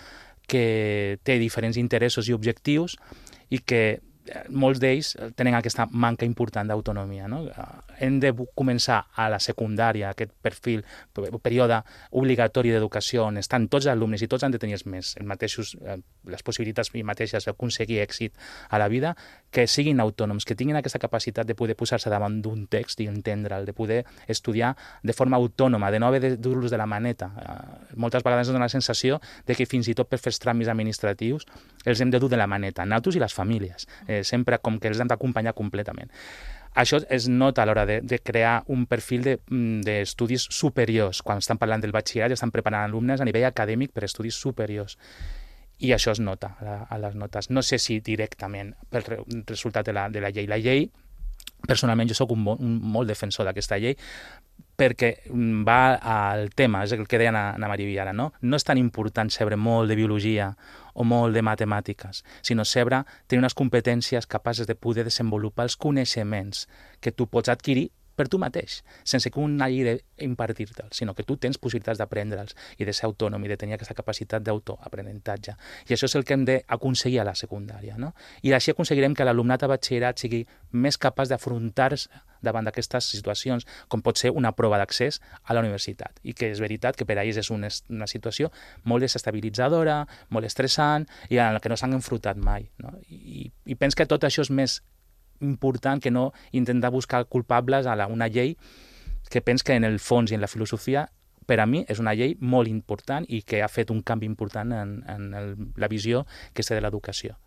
Speaker 10: que té diferents interessos i objectius i que molts d'ells tenen aquesta manca important d'autonomia, no? Hem de començar a la secundària, aquest perfil, període obligatori d'educació, on estan tots els alumnes i tots han de tenir els més, els mateixos, les possibilitats i mateixes d'aconseguir èxit a la vida, que siguin autònoms, que tinguin aquesta capacitat de poder posar-se davant d'un text i entendre'l, de poder estudiar de forma autònoma, de no haver de dur-los de la maneta. Moltes vegades ens dona la sensació de que fins i tot per fer els tràmits administratius els hem de dur de la maneta, nosaltres i les famílies. Eh, sempre com que els hem d'acompanyar completament. Això es nota a l'hora de, de crear un perfil d'estudis de, superiors. Quan estan parlant del batxillerat estan preparant alumnes a nivell acadèmic per estudis superiors. I això es nota a, a les notes. No sé si directament pel re, resultat de la, de la llei. La llei, personalment, jo soc un, un molt defensor d'aquesta llei, perquè va al tema, és el que deia Ana Maria ara, no? No és tan important saber molt de biologia o molt de matemàtiques, sinó saber tenir unes competències capaces de poder desenvolupar els coneixements que tu pots adquirir per tu mateix, sense que un hagi d'impartir-te'ls, sinó que tu tens possibilitats d'aprendre'ls i de ser autònom i de tenir aquesta capacitat d'autoaprenentatge. I això és el que hem d'aconseguir a la secundària, no? I així aconseguirem que l'alumnat a batxillerat sigui més capaç d'afrontar-se davant d'aquestes situacions, com pot ser una prova d'accés a la universitat. I que és veritat que per a ells és una, una situació molt desestabilitzadora, molt estressant i en la que no s'han enfrontat mai, no? I, i penso que tot això és més important que no intentar buscar culpables a la, una llei que penso que en el fons i en la filosofia per a mi és una llei molt important i que ha fet un canvi important en, en el, la visió que té de l'educació.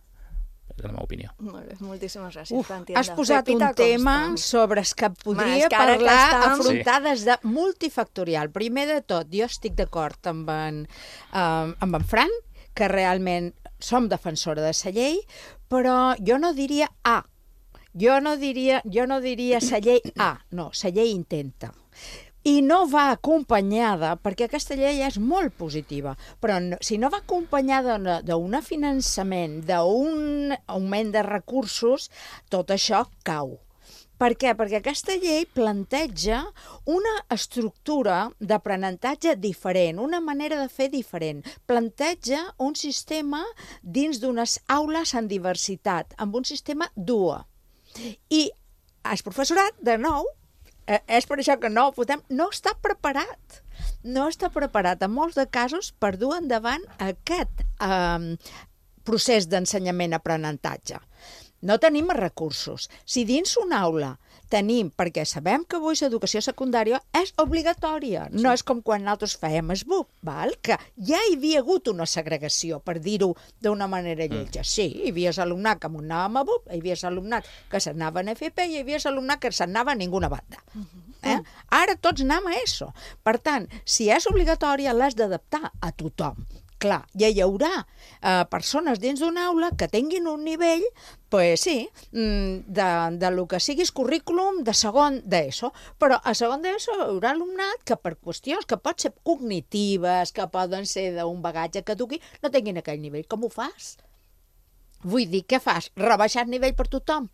Speaker 10: És la meva opinió.
Speaker 5: Molt bé, moltíssimes gràcies.
Speaker 11: Uf, has posat Pepita un tema Constant. sobre el que podria Ma, que parlar estem... afrontar sí. des de multifactorial. Primer de tot, jo estic d'acord amb, en, um, amb en Fran, que realment som defensora de la llei, però jo no diria A. Jo no diria, jo no diria la llei A, no, la llei intenta. I no va acompanyada, perquè aquesta llei és molt positiva, però no, si no va acompanyada d'un finançament, d'un augment de recursos, tot això cau. Per què? Perquè aquesta llei planteja una estructura d'aprenentatge diferent, una manera de fer diferent. Planteja un sistema dins d'unes aules en diversitat, amb un sistema duo. I el professorat, de nou, és per això que no ho votem, no està preparat. No està preparat, en molts de casos, per dur endavant aquest eh, procés d'ensenyament-aprenentatge. No tenim recursos. Si dins una aula tenim, perquè sabem que avui l'educació secundària és obligatòria, sí. No és com quan nosaltres fèiem es B U P, val? Que ja hi havia hagut una segregació, per dir-ho d'una manera lletja. Mm. Sí, hi havia alumnat que anàvem a B U P, hi havia alumnat que s'anaven a F P i hi havia alumnat que s'anava a ninguna banda. Mm-hmm. Eh? Ara tots anem a això. Per tant, si és obligatòria, l'has d'adaptar a tothom. Clar, ja hi haurà eh, persones dins d'una aula que tinguin un nivell, pues sí, de, de lo que siguis currículum de segon d'ESO, però a segon d'ESO hi haurà alumnat que per qüestions que pot ser cognitives, que poden ser d'un bagatge que duqui, no tinguin aquell nivell. Com ho fas? Vull dir, què fas? Rebaixar nivell per tothom?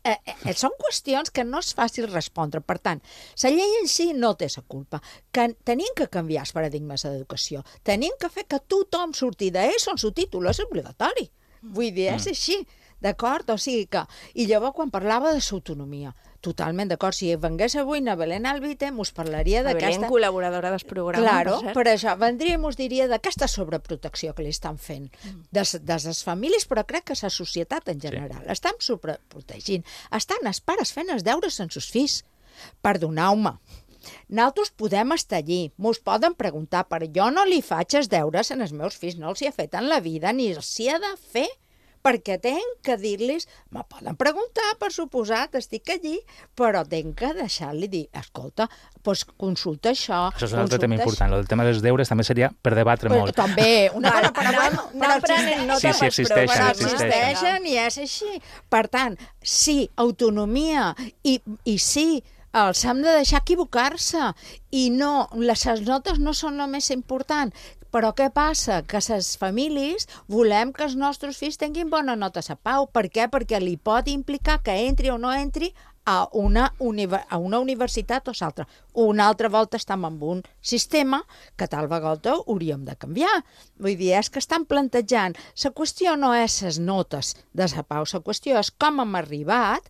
Speaker 11: Eh, eh, són qüestions que no és fàcil respondre. Per tant, la llei en si no té la culpa. Que tenim que canviar els paradigmes d'educació. Tenim que fer que tothom surti d'ESO en su títol. És obligatori. Vull dir, és així. D'acord? O sigui que... I llavors, quan parlava de l'autonomia, totalment d'acord. Si vengués avui na Belén Albite, mos parlaria d'aquesta...
Speaker 5: Belén, col·laboradora del programa.
Speaker 11: Claro, per, per això. Vendria i mos diria d'aquesta sobreprotecció que li estan fent. Des, des les famílies, però crec que la societat en general. Sí. Estan sobreprotegint. Estan els pares fent els deures amb els fills. Perdoneu-me. Nosaltres podem estar allí, mos poden preguntar, però jo no li faig els deures als meus fills, no els hi he fet en la vida, ni els hi he de fer, perquè tenc que dir-los, me poden preguntar, per suposat, estic allí, però tenc que deixar-li dir, escolta, doncs consulta això.
Speaker 10: Això és un altre tema important, el tema dels deures també seria per debatre molt.
Speaker 11: També, una
Speaker 5: cosa, però no aprenent, no
Speaker 10: sí, sí, existeixen,
Speaker 11: existeixen i és així. Per tant, sí, autonomia i, i sí, els hem de deixar equivocar-se i no, les notes no són el més important. Però què passa? Que les famílies volem que els nostres fills tinguin bona nota a Pau. Per què? Perquè li pot implicar que entri o no entri a una, a una universitat o l'altra. Una altra volta estem en un sistema que tal vegada hauríem de canviar. Vull dir, és que estan plantejant. La qüestió no és les notes de la Pau, la qüestió és com hem arribat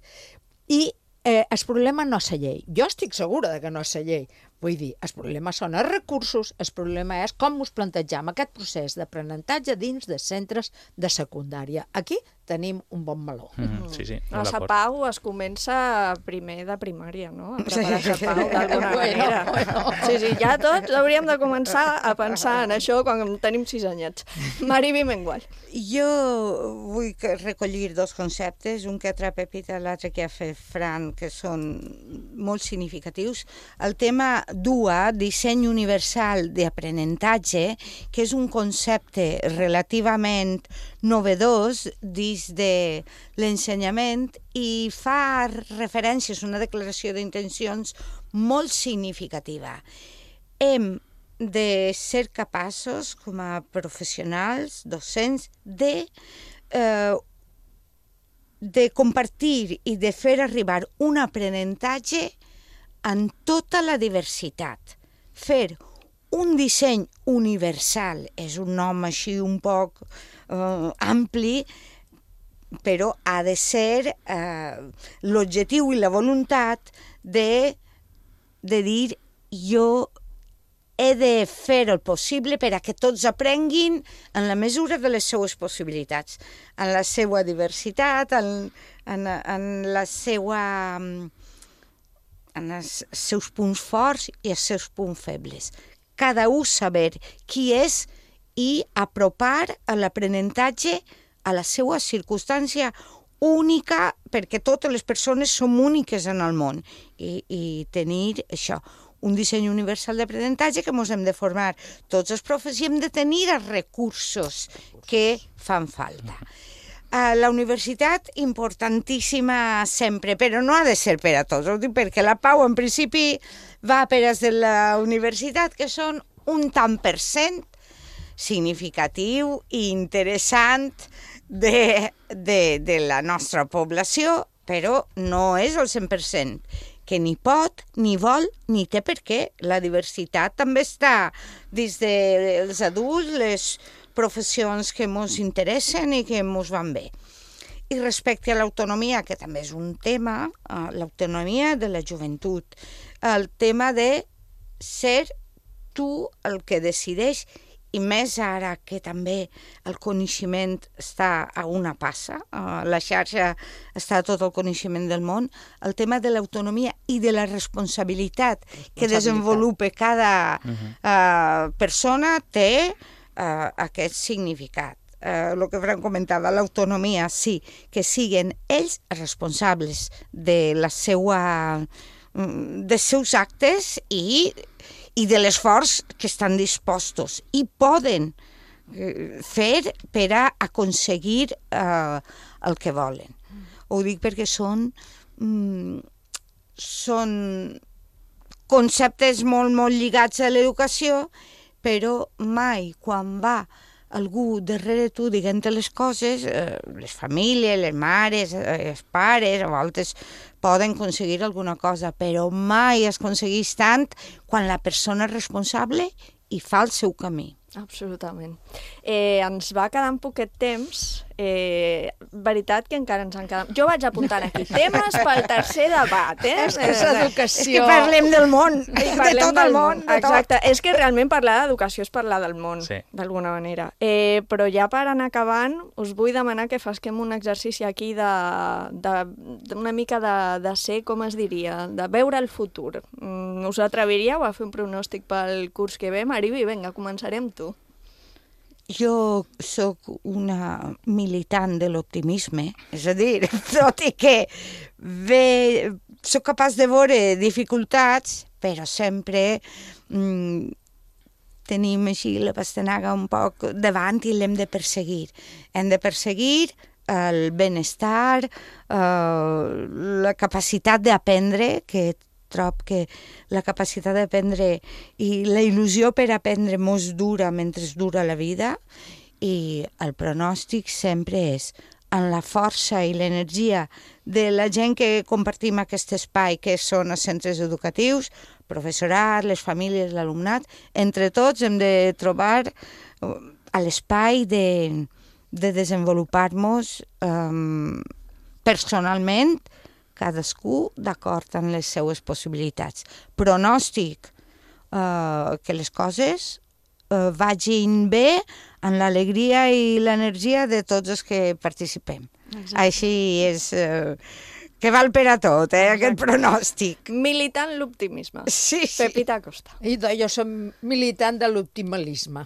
Speaker 11: i eh, el problema no és la llei. Jo estic segura de que no és la llei. Vull dir, el problema són els recursos, el problema és com ens plantegem aquest procés d'aprenentatge dins de centres de secundària. Aquí tenim un bon meló.
Speaker 10: Mm, sí, sí,
Speaker 5: a la Pau es comença primer de primària, no? A preparar la Pau d'alguna
Speaker 11: bueno,
Speaker 5: manera.
Speaker 11: Bueno.
Speaker 5: Sí, sí, ja tots hauríem de començar a pensar en això quan tenim sis anyets. Mari Bimengual.
Speaker 9: Jo vull recollir dos conceptes, un que ha tret Pepita, l'altre que ha fet Fran, que són molt significatius. El tema D U A, disseny universal d'aprenentatge, que és un concepte relativament novedós dins de l'ensenyament i fa referències a una declaració d'intencions molt significativa. Hem de ser capaços, com a professionals, docents, de, eh, de compartir i de fer arribar un aprenentatge en tota la diversitat. Fer un disseny universal, és un nom així un poc eh, ampli, però ha de ser eh, l'objectiu i la voluntat de, de dir jo he de fer el possible per a que tots aprenguin en la mesura de les seues possibilitats, en la seva diversitat, en, en, en la seva... en els seus punts forts i els seus punts febles. Cada un saber qui és i apropar a l'aprenentatge a la seva circumstància única, perquè totes les persones som úniques en el món, i, i tenir això, un disseny universal d'aprenentatge que ens hem de formar tots els profes i hem de tenir els recursos que fan falta. A la universitat, importantíssima sempre, però no ha de ser per a tots, ho dic perquè la Pau en principi va per als de la universitat, que són un tant per cent significatiu i interessant de, de, de la nostra població, però no és el cent per cent, que ni pot, ni vol, ni té per què. La diversitat també està dins dels adults, les professions que ens interessen i que ens van bé. I respecte a l'autonomia, que també és un tema, uh, l'autonomia de la joventut, el tema de ser tu el que decideix, i més ara que també el coneixement està a una passa, uh, la xarxa està a tot el coneixement del món, el tema de l'autonomia i de la responsabilitat que desenvolupa cada uh, persona té uh, aquest significat. Uh, el que Fran comentava, l'autonomia, sí, que siguin ells responsables de la seva, dels seus actes i i de l'esforç que estan dispostos i poden fer per a aconseguir eh, el que volen. Ho dic perquè són, mm, són conceptes molt, molt lligats a l'educació, però mai quan va algú darrere tu dient les coses, eh, les famílies, les mares, eh, els pares, a voltes poden aconseguir alguna cosa, però mai es aconsegueix tant quan la persona és responsable i fa el seu camí.
Speaker 5: Absolutament. Eh, ens va quedar un poquet temps. Eh, veritat que encara ens han quedat... Jo vaig apuntant aquí temes pel tercer debat, eh?
Speaker 11: És que és educació.
Speaker 9: És que parlem del món,
Speaker 5: I
Speaker 9: de tot el món. De
Speaker 5: Exacte.
Speaker 9: tot.
Speaker 5: És que realment parlar d'educació és parlar del món,
Speaker 10: sí,
Speaker 5: d'alguna manera. Eh, però ja per anar acabant, us vull demanar que fasquem un exercici aquí de, de, d'una mica de, de ser, com es diria, de veure el futur. Mm, us atreviríeu a fer un pronòstic pel curs que ve? Mariby, vinga, començaré amb tu.
Speaker 9: Jo sóc una militant de l'optimisme, és a dir, tot i que ve, sóc capaç de veure dificultats, però sempre mm, tenim així la pastanaga un poc davant i l'hem de perseguir. Hem de perseguir el benestar, eh, la capacitat d'aprendre, que trob que la capacitat d'aprendre i la il·lusió per aprendre mos dura mentre dura la vida, i el pronòstic sempre és en la força i l'energia de la gent que compartim aquest espai, que són els centres educatius, professorat, les famílies, l'alumnat. Entre tots hem de trobar a l'espai de, de desenvolupar-nos um, personalment, cadascú d'acord amb les seues possibilitats. Pronòstic, eh, que les coses eh, vagin bé en l'alegria i l'energia de tots els que participem. Exacte. Així és... Eh, que val per a tot, eh, aquest pronòstic.
Speaker 5: Militant l'optimisme.
Speaker 9: Sí, sí.
Speaker 5: Pepita Costa.
Speaker 11: I jo som militant de l'optimalisme.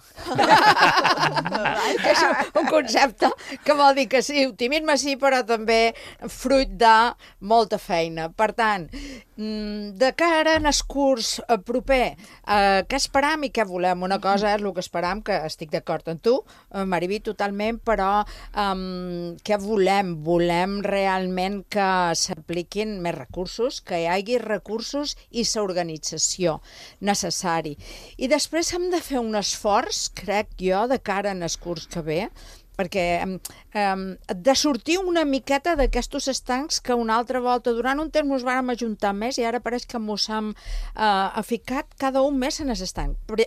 Speaker 11: Que és un concepte que vol dir que sí, optimisme sí, però també fruit de molta feina. Per tant, de cara en el curs proper, eh, què esperam i què volem? Una cosa és el que esperam, que estic d'acord amb tu, Mariby, totalment, però um, què volem? Volem realment que s'apliquin més recursos, que hi hagi recursos i l'organització necessari. I després hem de fer un esforç, crec jo, de cara en el curs que ve, perquè um, de sortir una miqueta d'aquestos estancs que una altra volta, durant un temps ens vàrem ajuntar més i ara pareix que ens hem uh, ficat cada un més en els estancs. Però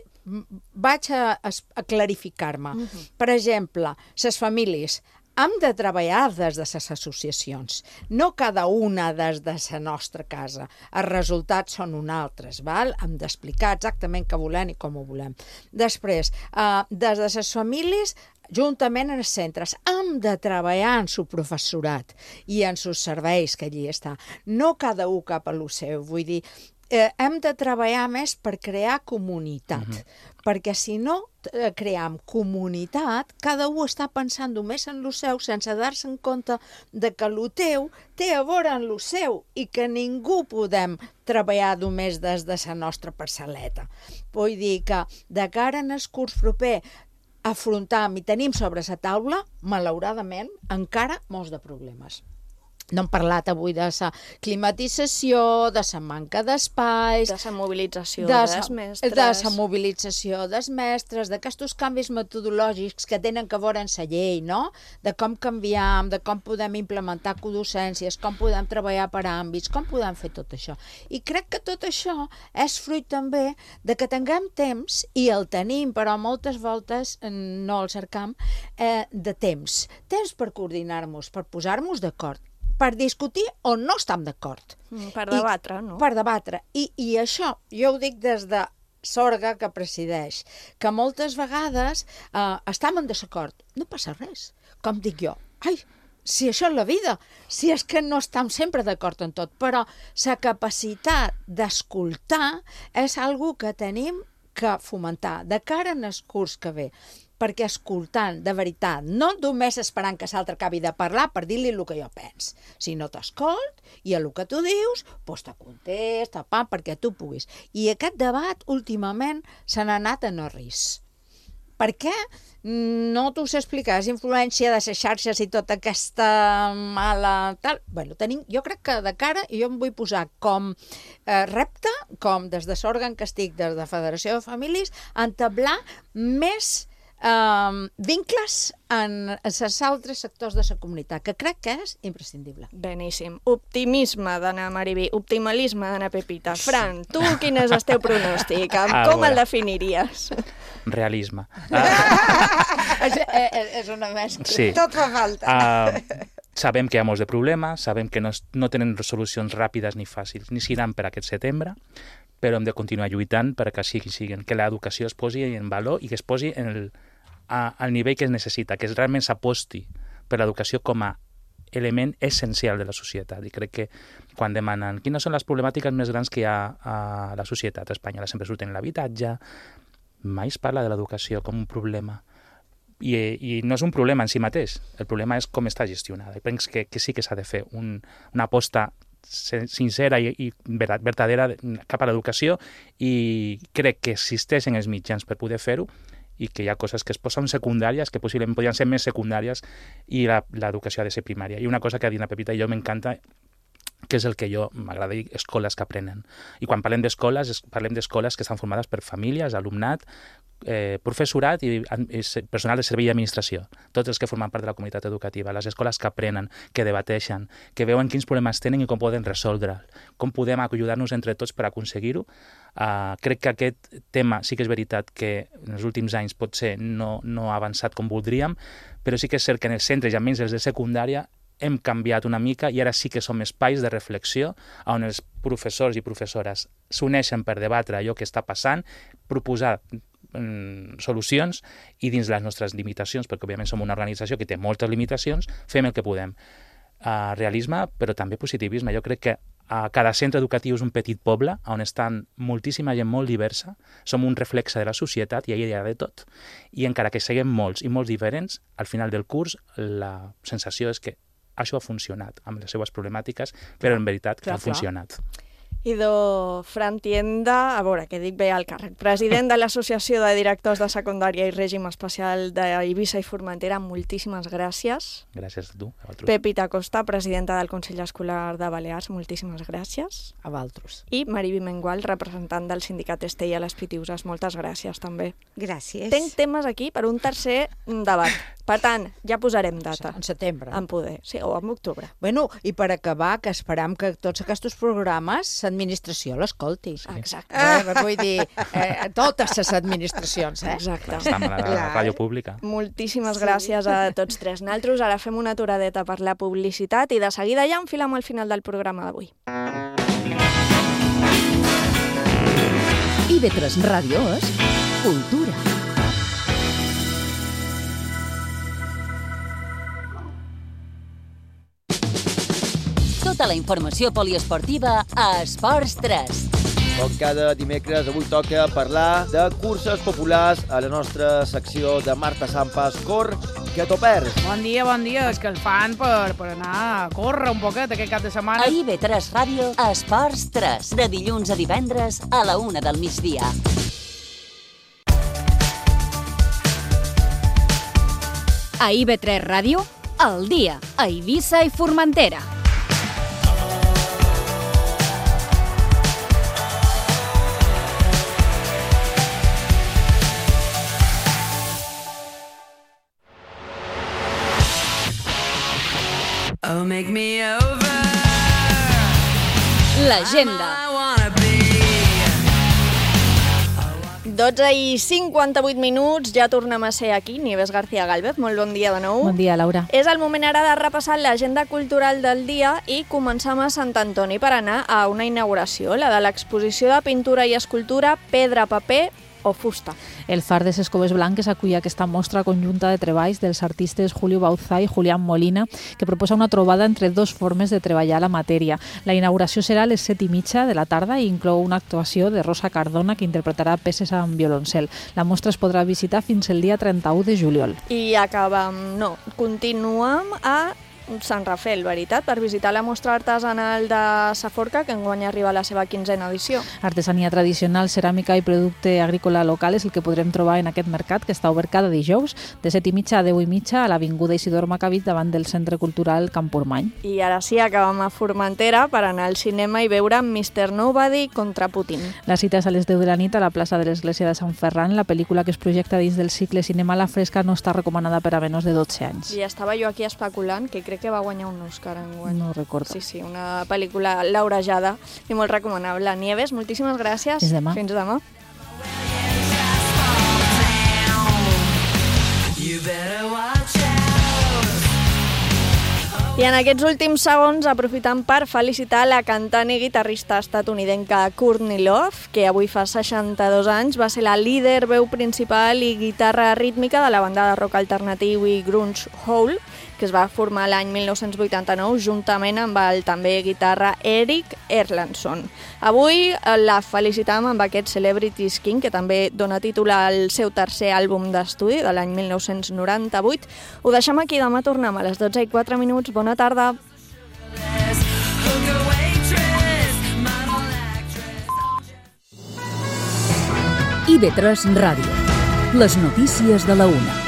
Speaker 11: vaig a, a, a clarificar-me. Uh-huh. Per exemple, les famílies hem de treballar des de les associacions, no cada una des de la nostra casa. Els resultats són uns altres, val? Hem d'explicar exactament què volem i com ho volem. Després, eh, des de les famílies, juntament en els centres, hem de treballar en el professorat i en els serveis que allí està. No cada un cap a lo seu, vull dir, eh, hem de treballar més per crear comunitat, uh-huh. perquè si no eh, cream comunitat, cada un està pensant només en lo seu sense dar-se en compte de que lo teu té a veure en lo seu i que ningú podem treballar només des de la nostra parcel·leta. Vull dir que de cara en el curs proper afrontam i tenim sobre la taula, malauradament, encara molts de problemes. No hem parlat avui de la climatització, de la manca d'espais...
Speaker 5: De la mobilització
Speaker 11: de
Speaker 5: dels mestres...
Speaker 11: De la mobilització dels mestres, d'aquests canvis metodològics que tenen que veure en la llei, no? De com canviam, de com podem implementar codocències, com podem treballar per àmbits, com podem fer tot això. I crec que tot això és fruit també de que tinguem temps, i el tenim, però moltes voltes no el cercam, eh, de temps. Temps per coordinar-nos, per posar-nos d'acord, per discutir o no estem d'acord.
Speaker 5: Mm, per debatre,
Speaker 11: I,
Speaker 5: no?
Speaker 11: Per debatre. I, I això, jo ho dic des de l'orga que presideix, que moltes vegades eh, estem en desacord. No passa res. Com dic jo, ai, si això és la vida, si és que no estem sempre d'acord en tot, però la capacitat d'escoltar és algo que tenim que fomentar de cara en el curs que ve. Perquè escoltant, de veritat, no només esperant que l'altre acabi de parlar per dir-li el que jo pens, sinó t'escolt i el que tu dius, doncs te contesta, pa, perquè tu puguis. I aquest debat, últimament, se n'ha anat a no ris. Per què? No t'ho sé explicar, és influència de les xarxes i tota aquesta mala... Tal. Bueno, tenim, jo crec que de cara, i jo em vull posar com eh, repte, com des de l'òrgan que estic, des de Federació de Famílies, entablar més Um, vincles en els altres sectors de la comunitat, que crec que és imprescindible.
Speaker 5: Beníssim. Optimisme d'Anna Mariví, optimalisme d'Anna Pepita. Fran, tu quin és el teu pronòstic? Ah, com el definiries?
Speaker 10: Realisme.
Speaker 11: Uh... és, és, és una mescla.
Speaker 10: Sí.
Speaker 11: Tot fa falta.
Speaker 10: Uh, sabem que hi ha molts de problemes, sabem que no, no tenen solucions ràpides ni fàcils, ni seran per aquest setembre, però hem de continuar lluitant perquè sigui, sigui, que l'educació es posi en valor i que es posi en el, a, al nivell que es necessita, que es realment s'aposti per l'educació com a element essencial de la societat. I crec que quan demanen quines són les problemàtiques més grans que hi ha a la societat espanyola, sempre surten l'habitatge, mai es parla de l'educació com un problema. I, i no és un problema en si mateix, el problema és com està gestionada. I penso que, que sí que s'ha de fer un, una aposta sincera i, i vertadera cap a l'educació, i crec que existeixen els mitjans per poder fer-ho i que hi ha coses que es posen secundàries que possiblement podrien ser més secundàries i l'educació ha de ser primària. I una cosa que ha dit la Pepita i jo m'encanta, que és el que jo m'agrada dir, escoles que aprenen. I quan parlem d'escoles, parlem d'escoles que estan formades per famílies, alumnat, eh, professorat i, i personal de servei i administració, tots els que formen part de la comunitat educativa, les escoles que aprenen, que debateixen, que veuen quins problemes tenen i com poden resoldre, com podem ajudar-nos entre tots per aconseguir-ho. Uh, crec que aquest tema sí que és veritat que en els últims anys potser no, no ha avançat com voldríem, però sí que és cert que en els centres i almenys els de secundària hem canviat una mica i ara sí que som espais de reflexió on els professors i professores s'uneixen per debatre allò que està passant, proposar mm, solucions i dins les nostres limitacions, perquè òbviament som una organització que té moltes limitacions, fem el que podem. Uh, realisme, però també positivisme. Jo crec que uh, cada centre educatiu és un petit poble on estan moltíssima gent molt diversa, som un reflexe de la societat i ahir hi ha de tot. I encara que siguem molts i molt diferents, al final del curs la sensació és que això ha funcionat amb les seues problemàtiques, però en veritat que ha funcionat.
Speaker 5: Idò Fran Tienda, a veure, que dic bé al càrrec, president de l'Associació de Directors de Secundària i Règim Especial d'Eivissa i Formentera, moltíssimes gràcies.
Speaker 10: Gràcies a tu, a vosaltres.
Speaker 5: Pepita Costa, presidenta del Consell Escolar de Balears, moltíssimes gràcies.
Speaker 11: A vosaltres.
Speaker 5: I Mariví Mengual, representant del sindicat Estella a les Pitiuses, moltes gràcies també.
Speaker 9: Gràcies.
Speaker 5: Tenc temes aquí per un tercer debat. Per tant, ja posarem data.
Speaker 11: En setembre.
Speaker 5: En poder, sí, o en octubre.
Speaker 11: Bueno, i per acabar, que esperam que tots aquests programes l'administració l'escolti.
Speaker 5: Sí. Exacte.
Speaker 11: Eh, vull dir, eh, totes les administracions, eh?
Speaker 5: Exacte.
Speaker 10: Estem a la, la ràdio pública.
Speaker 5: Moltíssimes sí. gràcies a tots tres. Naltros ara fem una aturadeta per la publicitat i de seguida ja enfilem al final del programa d'avui.
Speaker 12: I V tres Ràdio és cultura.
Speaker 3: Tota la informació poliesportiva a Esports tres.
Speaker 13: Com cada dimecres, avui toca parlar de curses populars a la nostra secció de Marta Sampas, Cor, que t'ho perds.
Speaker 14: Bon dia, bon dia. És que el fan per, per anar a córrer un poquet aquest cap de setmana.
Speaker 3: A I V tres Ràdio, Esports tres, de dilluns a divendres a la una del migdia.
Speaker 4: A I V tres Ràdio, al dia, a Eivissa i Formentera. l'agenda.
Speaker 5: dotze i cinquanta-vuit minuts, ja tornem a ser aquí. Nieves García Gálvez, molt bon dia de nou.
Speaker 6: Bon dia, Laura.
Speaker 5: És el moment ara de repassar l'agenda cultural del dia i començam a Sant Antoni per anar a una inauguració, la de l'exposició de pintura i escultura Pedra, Paper o Fusta.
Speaker 6: El Far de les Coves Blanques acull aquesta mostra conjunta de treballs dels artistes Julio Bauzá i Julián Molina, que proposa una trobada entre dos formes de treballar la matèria. La inauguració serà a les set i mitja de la tarda i inclou una actuació de Rosa Cardona, que interpretarà peces amb violoncel. La mostra es podrà visitar fins el dia trenta-u de juliol.
Speaker 5: I acabam, no, continuem a Sant Rafel, veritat, per visitar la mostra artesanal de Saforca, que enguany arriba a la seva quinzena edició.
Speaker 6: Artesania tradicional, ceràmica i producte agrícola local és el que podrem trobar en aquest mercat, que està obert cada dijous, de set i mitja a deu i mitja, a l'avinguda Isidor Macabit, davant del Centre Cultural Campurmany.
Speaker 5: I ara sí, acabam a Formentera per anar al cinema i veure mister Nobody contra Putin.
Speaker 6: La cita és a les deu de la nit a la plaça de l'Església de Sant Ferran. La pel·lícula, que es projecta dins del cicle Cinema a la Fresca, no està recomanada per a menors de dotze anys.
Speaker 5: I estava jo aquí especulant que crec que va guanyar un Òscar enguany.
Speaker 6: No recordo.
Speaker 5: Sí, sí, una pel·lícula laurejada i molt recomanable. Nieves, moltíssimes gràcies.
Speaker 6: Fins demà.
Speaker 5: Fins demà. I en aquests últims segons aprofitant per felicitar la cantant i guitarrista estatunidenca Courtney Love, que avui fa seixanta-dos anys, va ser la líder, veu principal i guitarra rítmica de la banda de rock alternatiu i grunge Hole, que es va formar l'any mil nou-cents vuitanta-nou juntament amb el també guitarra Eric Erlandson. Avui la felicitam amb aquest Celebrities King, que també dona títol al seu tercer àlbum d'estudi de l'any mil nou-cents noranta-vuit. Ho deixem aquí, demà tornem a les dotze i quatre minuts. Bona tarda.
Speaker 12: I ve tres Ràdio. Les notícies de la una.